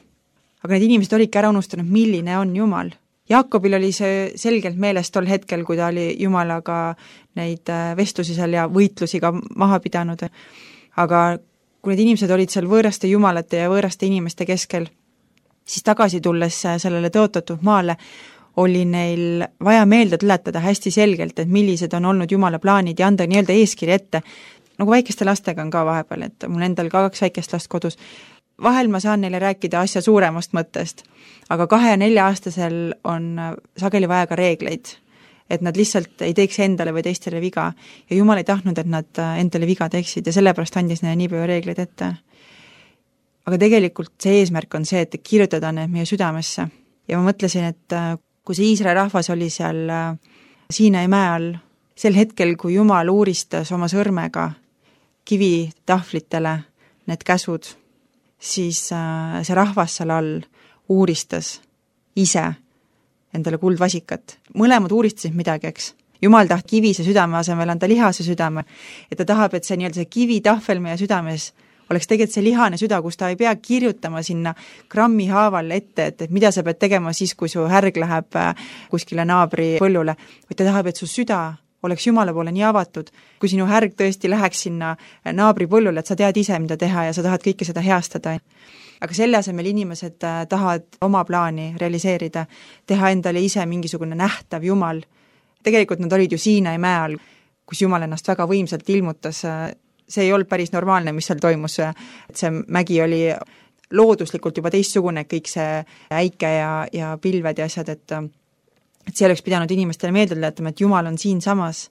Speaker 3: aga need inimesed olidki ära unustanud, milline on Jumal. Jaakobil oli see selgelt meeles tol hetkel, kui ta oli Jumalaga neid vestlusi seal ja võitlusi ka maha pidanud. Aga kui need inimesed olid seal võõraste jumalate ja võõraste inimeste keskel, siis tagasi tulles sellele tõotatud maale, oli neil vaja meelde tuletada hästi selgelt, et millised on olnud Jumala plaanid ja anda nii-öelda eeskiri ette. Nagu väikeste lastega on ka vahepeal, et mul endal ka 2 väikest last kodus. Vahel ma saan neile rääkida asja suuremast mõttest, aga 2- ja 4-aastasel on sageli vaja ka reegleid, et nad lihtsalt ei teeks endale või teistele viga ja Jumal ei tahtnud, et nad endale viga teeksid ja sellepärast andis neile nii palju reegleid ette. Aga tegelikult see eesmärk on see, et kirjutada need meie südamesse ja ma mõtlesin, et kui see Iisraeli rahvas oli seal Siinai mäe all, sel hetkel, kui Jumal uuristas oma sõrmega kivitahvlitele need käsud, siis see rahvas seal all uuristas ise endale kuldvasikat. Mõlemad uuristasid midagi, eks. Jumal tahab kivise südame asemel anda lihase südame, et ta tahab, et see nii-öelda see kivitahvel meie südames oleks tegelikult see lihane süda, kus ta ei pea kirjutama sinna grammi haaval ette, et mida sa pead tegema siis, kui su härg läheb kuskile naabri põllule, vaid ta tahab, et su süda oleks Jumala poole nii avatud, kui sinu härg tõesti läheks sinna naabri põllule, et sa tead ise, mida teha ja sa tahad kõike seda heastada. Aga selle asemel inimesed tahavad oma plaani realiseerida, teha endale ise mingisugune nähtav Jumal. Tegelikult nad olid ju Siinai mäe all, kus Jumal ennast väga võimsalt ilmutas. See ei olnud päris normaalne, mis seal toimus, et see mägi oli looduslikult juba teistsugune, kõik see äike ja pilved ja asjad, et see oleks pidanud inimestele meelde tuletama, et Jumal on siin samas,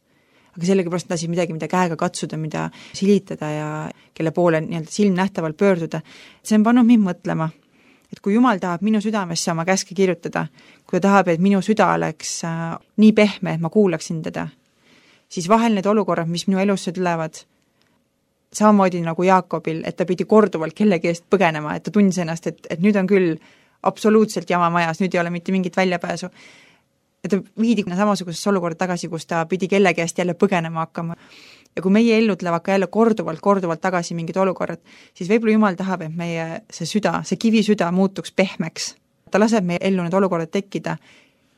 Speaker 3: aga sellegipärast lasid midagi, mida käega katsuda, mida silitada ja kelle poole nii-öelda silmnähtavalt pöörduda. See on pannud mind mõtlema, et kui Jumal tahab minu südamesse oma käske kirjutada, kui ta tahab, et minu süda oleks nii pehme, et ma kuulaksin teda, siis vahel need olukorrad, mis minu elusse tulevad, samamoodi nagu Jaakobil, et ta pidi korduvalt kellegi eest põgenema, et ta tundis ennast, et nüüd on küll absoluutselt jama majas, nüüd ei ole mitte mingit väljapääsu. Ja ta viidi samasugusesse olukorda tagasi, kus ta pidi kellegi eest jälle põgenema hakkama. Ja kui meie ellu tulevad ka jälle korduvalt tagasi mingid olukorrad, siis võib-olla Jumal tahab, et meie see süda, see kivisüda muutuks pehmeks. Ta laseb meie ellu need olukorrad tekkida,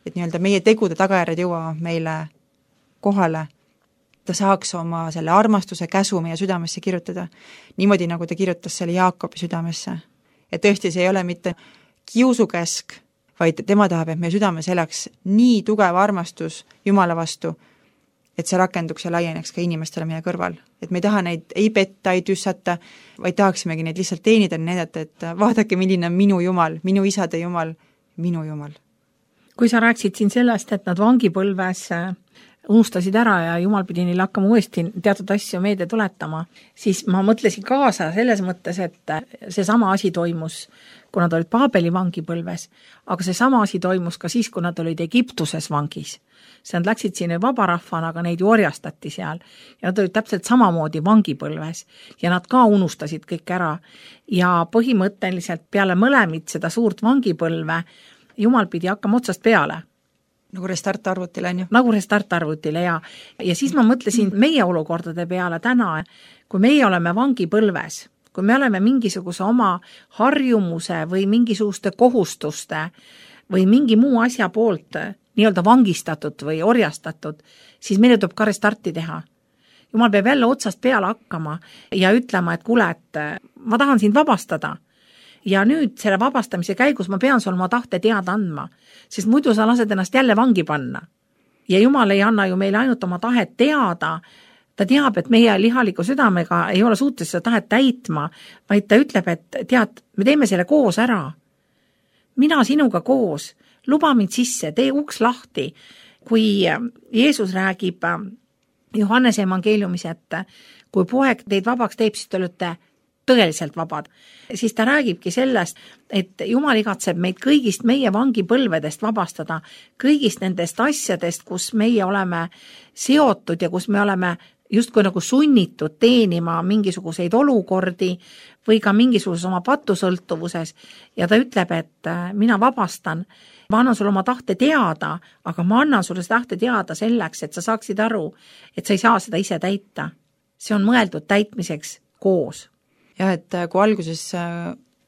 Speaker 3: et nii-öelda meie tegude tagajärjed jõuavad meile kohale, ta saaks oma selle armastuse käsu meie südamesse kirjutada, niimoodi nagu ta kirjutas selle Jaakobi südamesse. Ja tõesti, see ei ole mitte kiusukäsk, vaid tema tahab, et meie südames elaks nii tugev armastus Jumala vastu, et see rakenduks ja laieneks ka inimestele meie kõrval. Et me ei taha neid ei petta, ei tüssata, vaid tahaksimegi neid lihtsalt teenida, näidata, et vaadake, milline on minu Jumal, minu isade Jumal, minu Jumal.
Speaker 2: Kui sa rääksid siin sellest, et nad vangipõlves unustasid ära ja Jumal pidi neile hakkama uuesti teatud asju meelde tuletama, siis ma mõtlesin kaasa selles mõttes, et see sama asi toimus, kui nad olid Paabeli vangipõlves, aga see sama asi toimus ka siis, kui nad olid Egiptuses vangis. See nad läksid sinna vabarahvana, aga neid ju orjastati seal ja nad olid täpselt samamoodi vangipõlves ja nad ka unustasid kõik ära ja põhimõtteliselt peale mõlemid seda suurt vangipõlve Jumal pidi hakkama otsast peale.
Speaker 3: Nagu restartarvutile, on ju?
Speaker 2: Nagu restartarvutile, ja siis ma mõtlesin meie olukordade peale täna, kui meie oleme vangipõlves, kui me oleme mingisuguse oma harjumuse või mingisuguste kohustuste või mingi muu asja poolt nii-öelda vangistatud või orjastatud, siis meile tuleb ka restarti teha. Jumal peab jälle otsast peale hakkama ja ütlema, et kuule, et ma tahan sind vabastada. Ja nüüd selle vabastamise käigus ma pean sul oma tahte teada andma, sest muidu sa lased ennast jälle vangi panna. Ja Jumal ei anna ju meile ainult oma tahet teada, ta teab, et meie lihaliku südamega ei ole suutes seda tahet täitma, vaid ta ütleb, et tead, me teeme selle koos ära. Mina sinuga koos, luba mind sisse, tee uks lahti. Kui Jeesus räägib Johannese evangeeliumis, et kui poeg teid vabaks teeb, siis te olete tõeliselt vabad, siis ta räägibki sellest, et Jumal igatseb meid kõigist meie vangipõlvedest vabastada, kõigist nendest asjadest, kus meie oleme seotud ja kus me oleme justkui nagu sunnitud teenima mingisuguseid olukordi või ka mingisuguses oma patusõltuvuses ja ta ütleb, et mina vabastan, ma annan sulle oma tahte teada, aga ma annan sulle seda tahte teada selleks, et sa saaksid aru, et sa ei saa seda ise täita. See on mõeldud täitmiseks koos.
Speaker 3: Jah, et kui alguses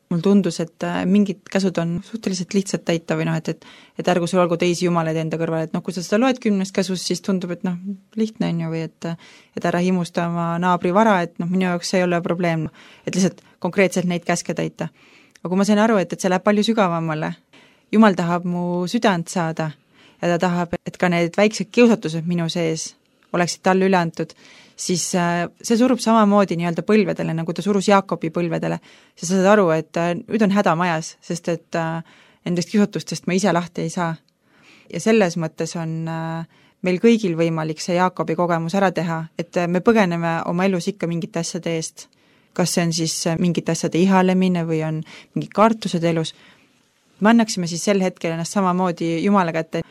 Speaker 3: mul tundus, et mingid käsud on suhteliselt lihtsalt täita või et ärgu sul olgu teisi jumalaid enda kõrval, et kui sa seda loed 10 käsust, siis tundub, et lihtne on ju või et ära himusta oma naabri vara, et minu jaoks see ei ole probleem, et lihtsalt konkreetselt neid käske täita. Aga kui ma sain aru, et see läheb palju sügavamale, Jumal tahab mu südant saada ja ta tahab, et ka need väiksed kiusatused minu sees oleksid talle üle antud, siis see surub samamoodi nii-öelda põlvedele, nagu ta surus Jaakobi põlvedele. Sa saad aru, et nüüd on häda majas, sest et nendest kiusatustest ma ise lahti ei saa. Ja selles mõttes on meil kõigil võimalik see Jaakobi kogemus ära teha, et me põgeneme oma elus ikka mingite asjade eest. Kas see on siis mingite asjade ihalemine või on mingid kartused elus. Me annaksime siis sel hetkel ennast samamoodi Jumala kätte.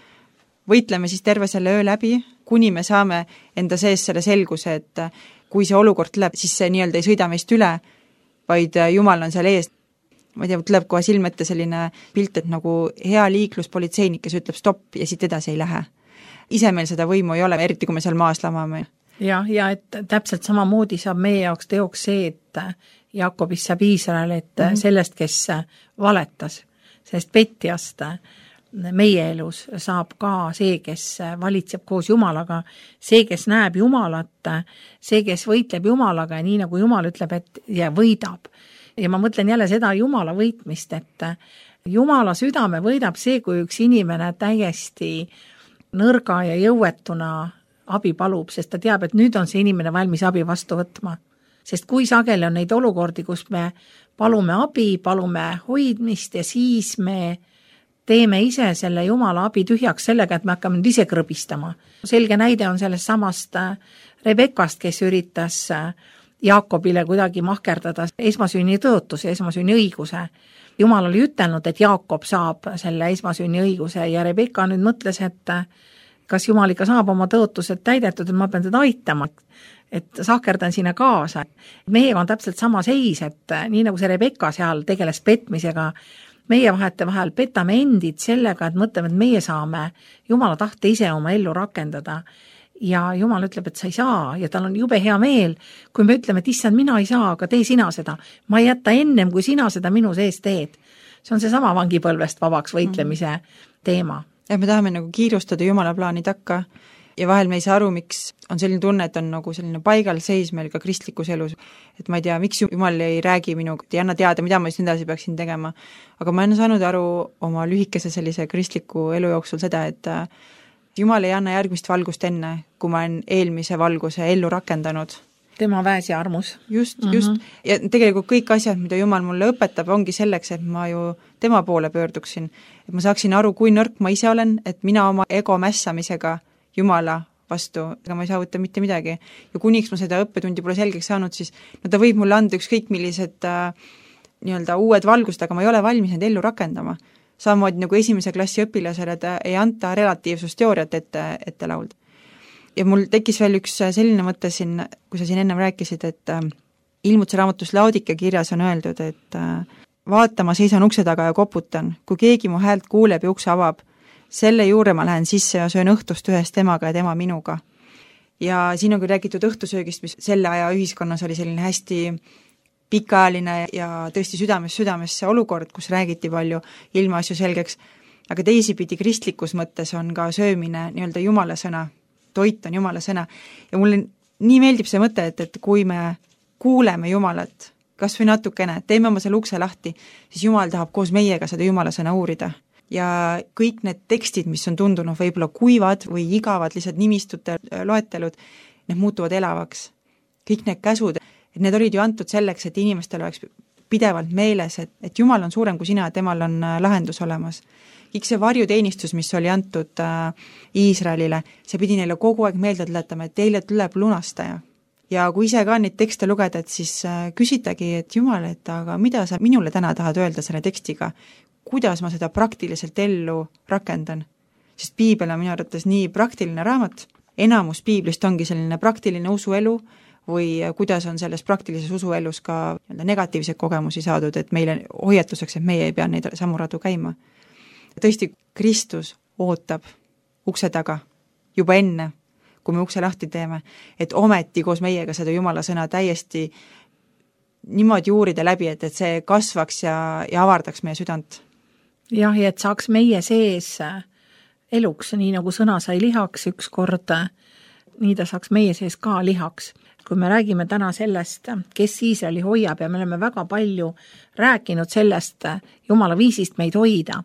Speaker 3: Võitleme siis terve selle öö läbi, kuni me saame enda sees selle selguse, et kui see olukord tuleb, siis see nii-öelda ei sõida meist üle, vaid Jumal on seal ees. Ma ei tea, tuleb kohe silmette selline pilt, et nagu hea liikluspolitseinik, kes ütleb stopp ja siit edasi ei lähe. Ise meil seda võimu ei ole, eriti kui me seal maas lamame.
Speaker 2: Ja et täpselt samamoodi saab meie jaoks teoks see, et Jaakobist saab Iisrael, et sellest, kes valetas, sellest petjast meie elus saab ka see, kes valitseb koos Jumalaga, see, kes näeb Jumalat, see, kes võitleb Jumalaga ja nii nagu Jumal ütleb, et ja võidab. Ja ma mõtlen jälle seda Jumala võitmist, et Jumala südame võidab see, kui üks inimene täiesti nõrga ja jõuetuna abi palub, sest ta teab, et nüüd on see inimene valmis abi vastu võtma. Sest kui sageli on neid olukordi, kus me palume abi, palume hoidmist ja siis me teeme ise selle Jumala abi tühjaks sellega, et me hakkame nüüd ise krõbistama. Selge näide on sellest samast Rebekast, kes üritas Jaakobile kuidagi mahkerdada esmasünni tõotus ja esmasünni õiguse. Jumal oli ütelnud, et Jaakob saab selle esmasünni õiguse ja Rebeka nüüd mõtles, et kas Jumal ikka saab oma tõotused täidetud, et ma pean teda aitama, et sahkerdan sinna kaasa. Meiega on täpselt sama seis, et nii nagu see Rebeka seal tegeles petmisega, meie vahel petame endid sellega, et mõtleme, et meie saame Jumala tahte ise oma ellu rakendada. Ja Jumal ütleb, et sa ei saa ja tal on jube hea meel, kui me ütleme, et issand, mina ei saa, aga tee sina seda. Ma ei jätta ennem, kui sina seda minu sees teed. See on see sama vangipõlvest vabaks võitlemise teema.
Speaker 3: Ja me tahame nagu kiirustada Jumala plaani takka ja vahel me ei saa aru, miks on selline tunne, et on nagu selline paigal seis meil ka kristlikus elus. Et ma ei tea, miks Jumal ei räägi minuga, ei anna teada, mida ma siis edasi peaksin tegema. Aga ma olen saanud aru oma lühikese sellise kristliku elu jooksul seda, et Jumal ei anna järgmist valgust enne, kui ma olen eelmise valguse ellu rakendanud.
Speaker 2: Tema väes ja armus.
Speaker 3: Just. Ja tegelikult kõik asjad, mida Jumal mulle õpetab, ongi selleks, et ma ju tema poole pöörduksin. Et ma saaksin aru, kui nõrk ma ise olen, et mina oma ego mässamisega Jumala vastu, ega ma ei saavuta mitte midagi. Ja kuniks ma seda õppetundi pole selgeks saanud, siis ta võib mulle anda ükskõik millised nii-öelda uued valgused, aga ma ei ole valmis need ellu rakendama. Samamoodi nagu esimese klassi õpilasele ei anta relatiivsusteooriat ette laulda. Ja mul tekkis veel üks selline mõte siin, kui sa siin ennem rääkisid, et Ilmutuse raamatus Laodike kirjas on öeldud, et vaata, ma seisan ukse taga ja koputan, kui keegi mu häält kuuleb ja ukse avab, selle juurde ma lähen sisse ja söön õhtust ühes temaga ja tema minuga. Ja siin on küll räägitud õhtusöögist, mis selle aja ühiskonnas oli selline hästi pikaajaline ja tõesti südamesse olukord, kus räägiti palju ilmaasju selgeks, aga teisipidi kristlikus mõttes on ka söömine nii-öelda Jumala sõna, toit on Jumala sõna ja mulle nii meeldib see mõte, et kui me kuuleme Jumalat, kas või natukene, teeme oma selle ukse lahti, siis Jumal tahab koos meiega seda Jumala sõna uurida. Ja kõik need tekstid, mis on tundunud võib-olla kuivad või igavad lihtsalt nimistute loetelud, need muutuvad elavaks. Kõik need käsud, et need olid ju antud selleks, et inimestel oleks pidevalt meeles, et Jumal on suurem kui sina, temal on lahendus olemas. Kõik see varjuteenistus, mis oli antud Iisraelile, see pidi neile kogu aeg meelde tuletama, et teile tuleb lunastaja. Ja kui ise ka neid tekste lugeda, et siis küsitagi, et Jumal, et aga mida sa minule täna tahad öelda selle tekstiga? Kuidas ma seda praktiliselt ellu rakendan? Sest piibel on minu arvates nii praktiline raamat, enamus piiblist ongi selline praktiline usuelu või kuidas on selles praktilises usuelus ka negatiivseid kogemusi saadud, et meile hoiatuseks, et meie ei pea neid samuradu käima. Tõesti, Kristus ootab ukse taga juba enne, kui me ukse lahti teeme, et ometi koos meiega seda Jumala sõna täiesti niimoodi uurida läbi, et see kasvaks ja avardaks meie südant.
Speaker 2: Jah, ja et saaks meie sees eluks, nii nagu sõna sai lihaks ükskord, nii ta saaks meie sees ka lihaks. Kui me räägime täna sellest, kes Iisraeli hoiab ja me oleme väga palju rääkinud sellest Jumala viisist meid hoida,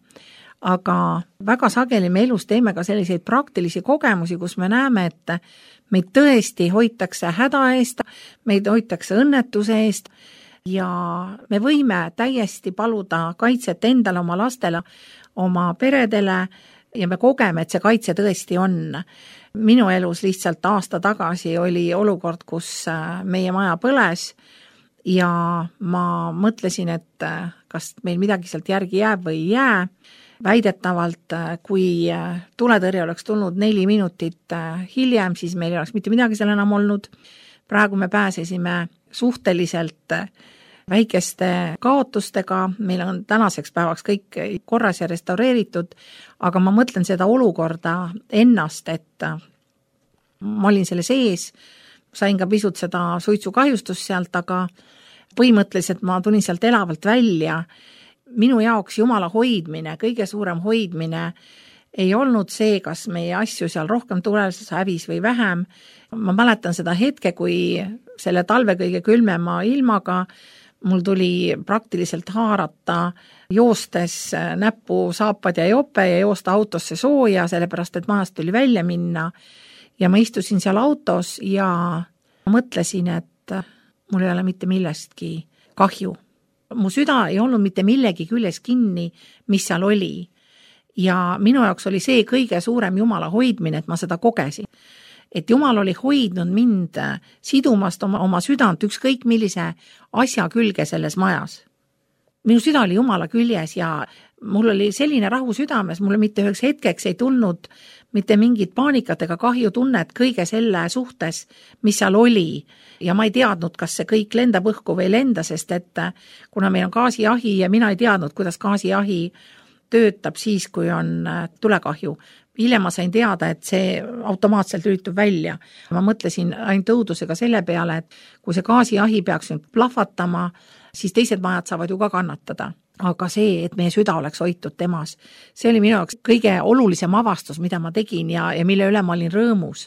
Speaker 2: aga väga sageli me elus teeme ka selliseid praktilisi kogemusi, kus me näeme, et meid tõesti hoitakse häda eest, meid hoitakse õnnetuse eest ja me võime täiesti paluda kaitset endale, oma lastele, oma peredele ja me kogeme, et see kaitse tõesti on. Minu elus lihtsalt aasta tagasi oli olukord, kus meie maja põles ja ma mõtlesin, et kas meil midagi sealt järgi jääb või ei jää. Väidetavalt, kui tuletõrje oleks tulnud 4 minutit hiljem, siis meil ei oleks mitte midagi seal enam olnud. Praegu me pääsesime suhteliselt väikeste kaotustega, meil on tänaseks päevaks kõik korras ja restaureeritud, aga ma mõtlen seda olukorda ennast, et ma olin selle sees, sain ka pisut seda suitsukahjustust sealt, aga põhimõtteliselt ma tulin sealt elavalt välja. Minu jaoks Jumala hoidmine, kõige suurem hoidmine ei olnud see, kas meie asju seal rohkem tuleses hävis või vähem. Ma mäletan seda hetke, kui selle talve kõige külmema ilmaga mul tuli praktiliselt haarata joostes näppu saapad ja jope ja joosta autosse sooja, sellepärast et majast tuli välja minna. Ja ma istusin seal autos ja mõtlesin, et mul ei ole mitte millestki kahju. Mu süda ei olnud mitte millegi küljes kinni, mis seal oli. Ja minu jaoks oli see kõige suurem Jumala hoidmine, et ma seda kogesin. Et Jumal oli hoidnud mind sidumast oma südant ükskõik millise asja külge selles majas. Minu süda oli Jumala küljes ja mul oli selline rahu südames, mulle mitte üheks hetkeks ei tulnud mitte mingit paanikat ega kahjutunnet kõige selle suhtes, mis seal oli. Ja ma ei teadnud, kas see kõik lendab õhku või lenda, sest et kuna meil on gaasiahi ja mina ei teadnud, kuidas gaasiahi töötab siis, kui on tulekahju. Hiljem ma sain teada, et see automaatselt lülitub välja. Ma mõtlesin ainult õudusega selle peale, et kui see gaasiahi peaks nüüd plahvatama, siis teised majad saavad ju ka kannatada. Aga see, et meie süda oleks hoitud temas, see oli minu jaoks kõige olulisem avastus, mida ma tegin ja mille üle ma olin rõõmus.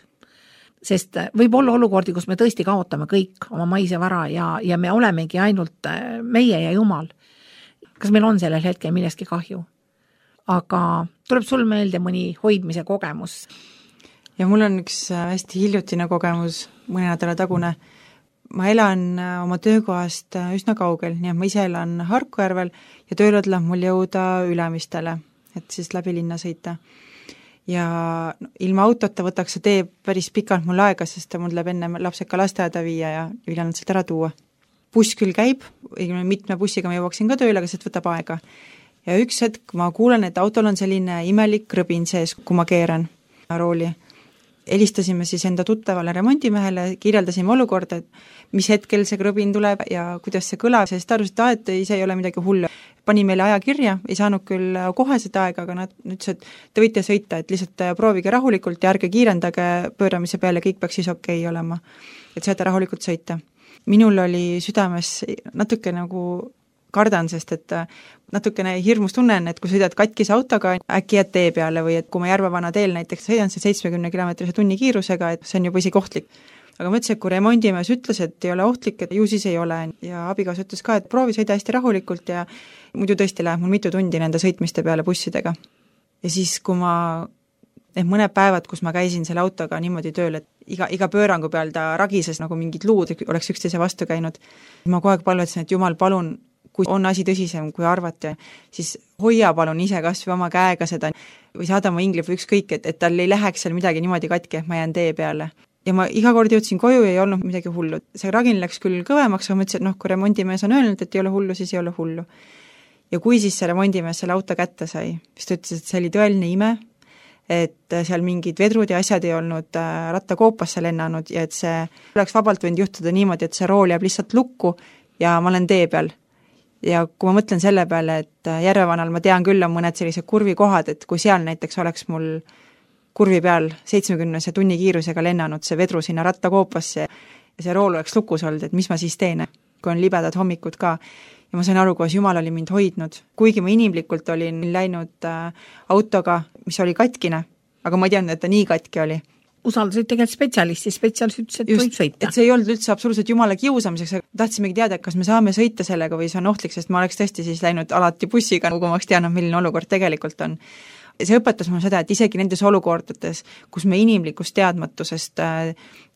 Speaker 2: Sest võib olla olukordi, kus me tõesti kaotame kõik oma maise vara ja me olemegi ainult meie ja Jumal. Kas meil on sellel hetkel millestki kahju? Aga tuleb sul meelde mõni hoidmise kogemus?
Speaker 3: Ja mul on üks hästi hiljutine kogemus, mõne nädala tagune. Ma elan oma töökohast üsna kaugel, nii et ma ise elan Harkujärvel ja tööle tuleb mul jõuda Ülemistele, et siis läbi linna sõita. Ja ilma autota võtaks see tee päris pikalt mul aega, sest mul tuleb enne lapsed ka lasteaeda viia ja ülejäänud sealt ära tuua. Buss küll käib, mitme bussiga ma jõuaksin ka tööle, aga sealt võtab aega. Ja üks hetk ma kuulen, et autol on selline imelik krõbin sees, kui ma keeran rooli. Helistasime siis enda tuttavale remondimehele, kirjeldasime olukorda, et mis hetkel see krõbin tuleb ja kuidas see kõlab, sest ta arvas, et ise ei ole midagi hullu. Pani meile aja kirja, ei saanud küll kohe seda aega, aga nad ütles, et te võite sõita, et lihtsalt proovige rahulikult ja ärge kiirendage pööramise peale, kõik peaks siis okei olema, et saate rahulikult sõita. Minul oli südames natuke nagu kardan, sest et natukene hirmus tunnen, et kui sõidad katkise autoga, äkki jääd tee peale või et kui ma Järvevana teel näiteks sõidan see 70 km tunni kiirusega, et see on juba isegi ohtlik. Aga ma ütlesin, et kui remondimees ütles, et ei ole ohtlik, et ju siis ei ole ja abigaas ütles ka, et proovi sõida hästi rahulikult ja muidu tõesti läheb mul mitu tundi nende sõitmiste peale bussidega. Ja siis, kui ma mõned päevad, kus ma käisin selle autoga niimoodi tööl, et iga pöörangu peal ta ragises nagu mingid luud oleks üksteise vastu käinud, ma kogu aeg palvetasin, et Jumal, palun, kui on asi tõsisem, kui arvati, siis hoia palun ise kas või oma käega seda või saada oma ingli või ükskõik, et tal ei läheks seal midagi niimoodi katki, et ma jään tee peale. Ja ma iga kord jõudsin koju ja ei olnud midagi hullu. See ragin läks küll kõvemaks, aga ma ütlesin, et kui remondimees on öelnud, et ei ole hullu, siis ei ole hullu. Ja kui siis see remondimees selle auto kätte sai, siis ta ütles, et see oli tõeline ime, et seal mingid vedrud ja asjad ei olnud rattakoopasse lennanud ja et see oleks vabalt võinud juhtuda niimoodi, et see rool jääb lihtsalt lukku ja ma olen tee peal. Ja kui ma mõtlen selle peale, et Järvevanal ma tean küll on mõned sellised kurvikohad, et kui seal näiteks oleks mul kurvi peal 70 tunni kiirusega lennanud see vedru sinna rattakoopasse ja see rool oleks lukus olnud, et mis ma siis teen, kui on libedad hommikud ka. Ja ma sain aru, kuidas Jumal oli mind hoidnud, kuigi ma inimlikult olin läinud autoga, mis oli katkine, aga ma ei teadnud, et ta nii katki oli.
Speaker 2: usaldasid tegelikult spetsialisti ütles, et võib sõita.
Speaker 3: Et see ei olnud üldse absoluutselt jumala kiusamiseks, tahtsimegi teada, kas me saame sõita sellega või see on ohtlik, sest ma oleks tõesti siis läinud alati bussiga, kui ma oleks teadnud, milline olukord tegelikult on. See õpetas mulle seda, et isegi nendes olukordades, kus me inimlikust teadmatusest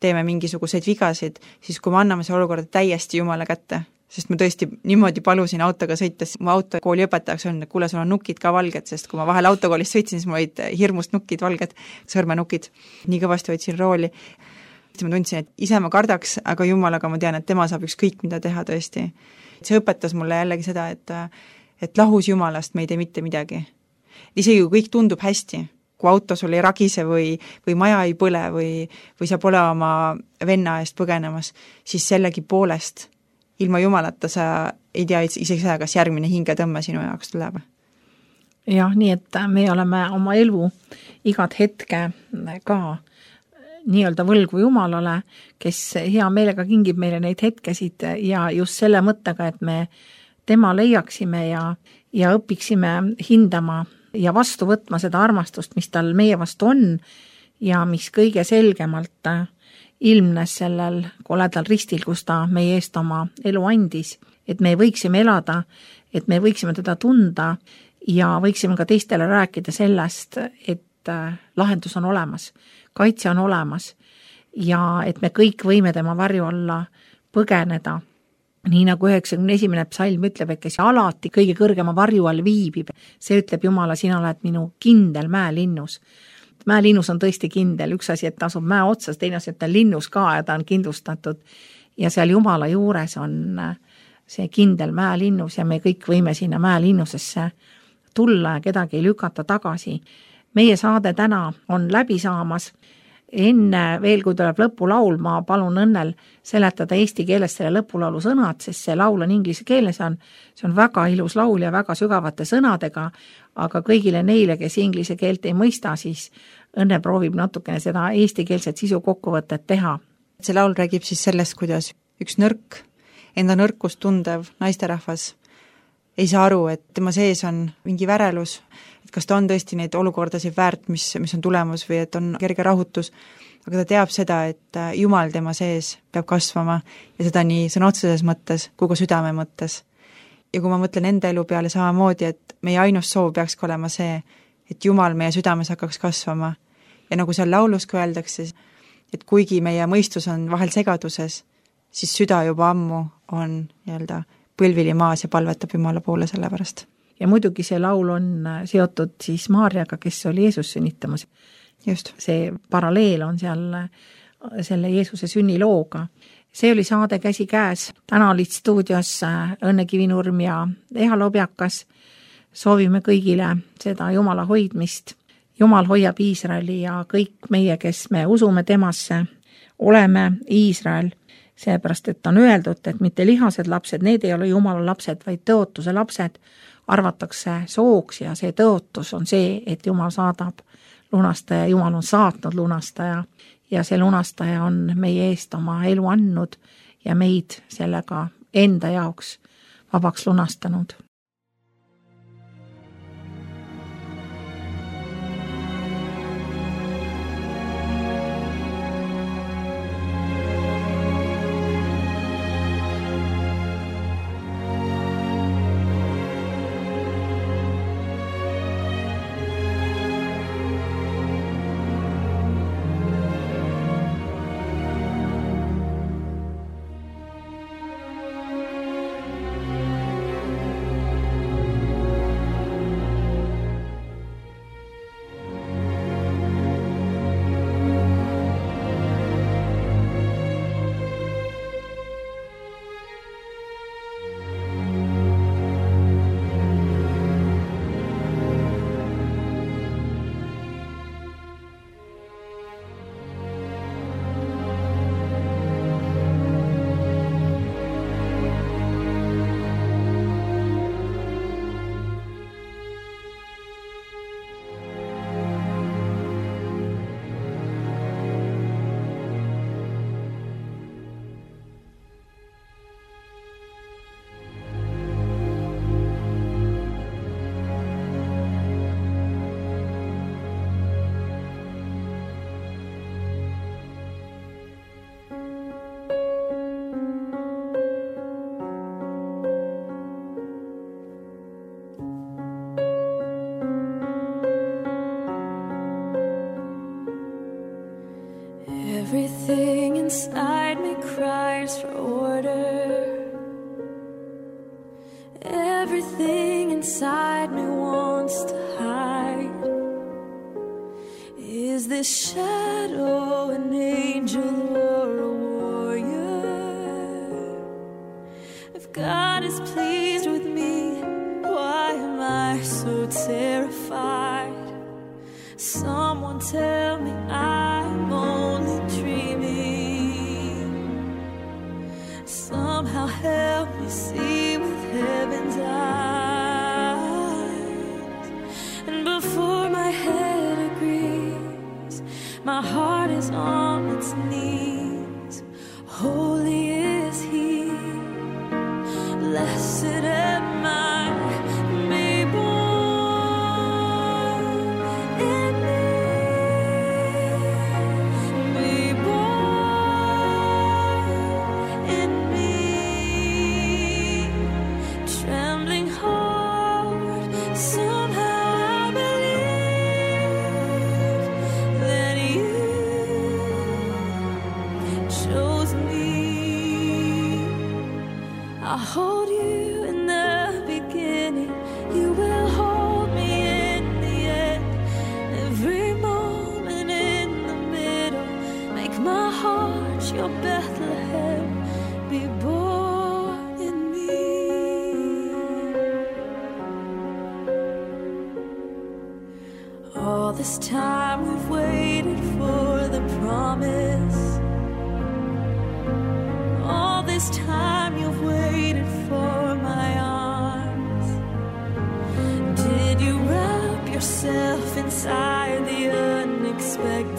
Speaker 3: teeme mingisuguseid vigasid, siis kui me anname see olukorda täiesti jumala kätte, sest ma tõesti niimoodi palusin autoga sõites, mu autokooli õpetajaks on, et kuule, sul on nukid ka valged, sest kui ma vahel autokoolist sõitsin, siis mul olid hirmust nukid valged, sõrmenukid, nii kõvasti võtsin rooli. Ma tundsin, et ise ma kardaks, aga jumalaga ma tean, et tema saab ükskõik mida teha tõesti. See õpetas mulle jällegi seda, et lahus jumalast me ei tee mitte midagi. Isegi kui kõik tundub hästi, kui auto sul ei ragise või maja ei põle või sa pole oma venna eest põgenemas, siis sellegi poolest ilma jumalata sa ei tea isegi seda, kas järgmine hingetõmme sinu jaoks tuleb.
Speaker 2: Jah, nii et me oleme oma elu igat hetke ka nii-öelda võlgu jumalale, kes hea meelega kingib meile neid hetkesid ja just selle mõttega, et me tema leiaksime ja õpiksime hindama ja vastu võtma seda armastust, mis tal meie vastu on ja mis kõige selgemalt ilmnes sellel koledal ristil, kus ta meie eest oma elu andis, et me võiksime elada, et me võiksime teda tunda ja võiksime ka teistele rääkida sellest, et lahendus on olemas, kaitse on olemas ja et me kõik võime tema varju alla põgeneda. Nii nagu 91. psalm ütleb, et kes alati kõige kõrgema varju all viibib, see ütleb Jumala, sina oled minu kindel mäelinnus. Mäelinnus on tõesti kindel, üks asi, et ta asub mäe otsas, teine asi, et ta on linnus ka ja ta on kindlustatud ja seal Jumala juures on see kindel mäelinnus ja me kõik võime sinna mäelinnusesse tulla ja kedagi ei lükata tagasi. Meie saade täna on läbi saamas. Enne veel, kui tuleb lõpulaul, ma palun Õnnel seletada eesti keeles selle lõpulaulu sõnad, sest see laul on inglise keeles, see on väga ilus laul ja väga sügavate sõnadega, aga kõigile neile, kes inglise keelt ei mõista, siis Õnne proovib natukene seda eestikeelset sisu kokkuvõtet teha.
Speaker 3: See laul räägib siis sellest, kuidas üks nõrk, enda nõrkust tundev naisterahvas ei saa aru, et tema sees on mingi värelus, et kas ta on tõesti neid olukordasid väärt, mis on tulemus või et on kerge rahutus, aga ta teab seda, et Jumal tema sees peab kasvama ja seda nii sõna otseses mõttes kui ka südame mõttes. Ja kui ma mõtlen enda elu peale samamoodi, et meie ainus soov peaks olema see, et Jumal meie südames hakkaks kasvama ja nagu seal laulus ka öeldakse, et kuigi meie mõistus on vahel segaduses, siis süda juba ammu on nii-öelda põlvili maas ja palvetab Jumala poole selle pärast.
Speaker 2: Ja muidugi see laul on seotud siis Maarjaga, kes oli Jeesus sünnitamas.
Speaker 3: Just.
Speaker 2: See paralleel on seal selle Jeesuse sünnilooga. See oli saade Käsi käes. Täna olid stuudios Õnne Kivinurm ja Eha Lobjakas. Soovime kõigile seda Jumala hoidmist. Jumal hoiab Iisraeli ja kõik meie, kes me usume temasse, oleme Iisrael. Seepärast, et on öeldud, et mitte lihased lapsed, need ei ole Jumala lapsed, vaid tõotuse lapsed arvatakse sooks ja see tõotus on see, et Jumal saadab lunastaja, Jumal on saatnud lunastaja ja see lunastaja on meie eest oma elu andnud ja meid sellega enda jaoks vabaks lunastanud.
Speaker 4: inside me wants to hide. Is this shadow an angel or a warrior? If God is pleased with me, why am I so terrified? Someone tell me I'm only dreaming. Somehow help me see with heaven's eyes. And before my head agrees, my heart is on its knees. Holy is He, blessed am I. I hold you in the beginning, you will hold me in the end. Every moment in the middle, make my heart your Bethlehem, be born in me. All this time we've waited for the promise. All this time you've waited for my arms. Did you wrap yourself inside the unexpected?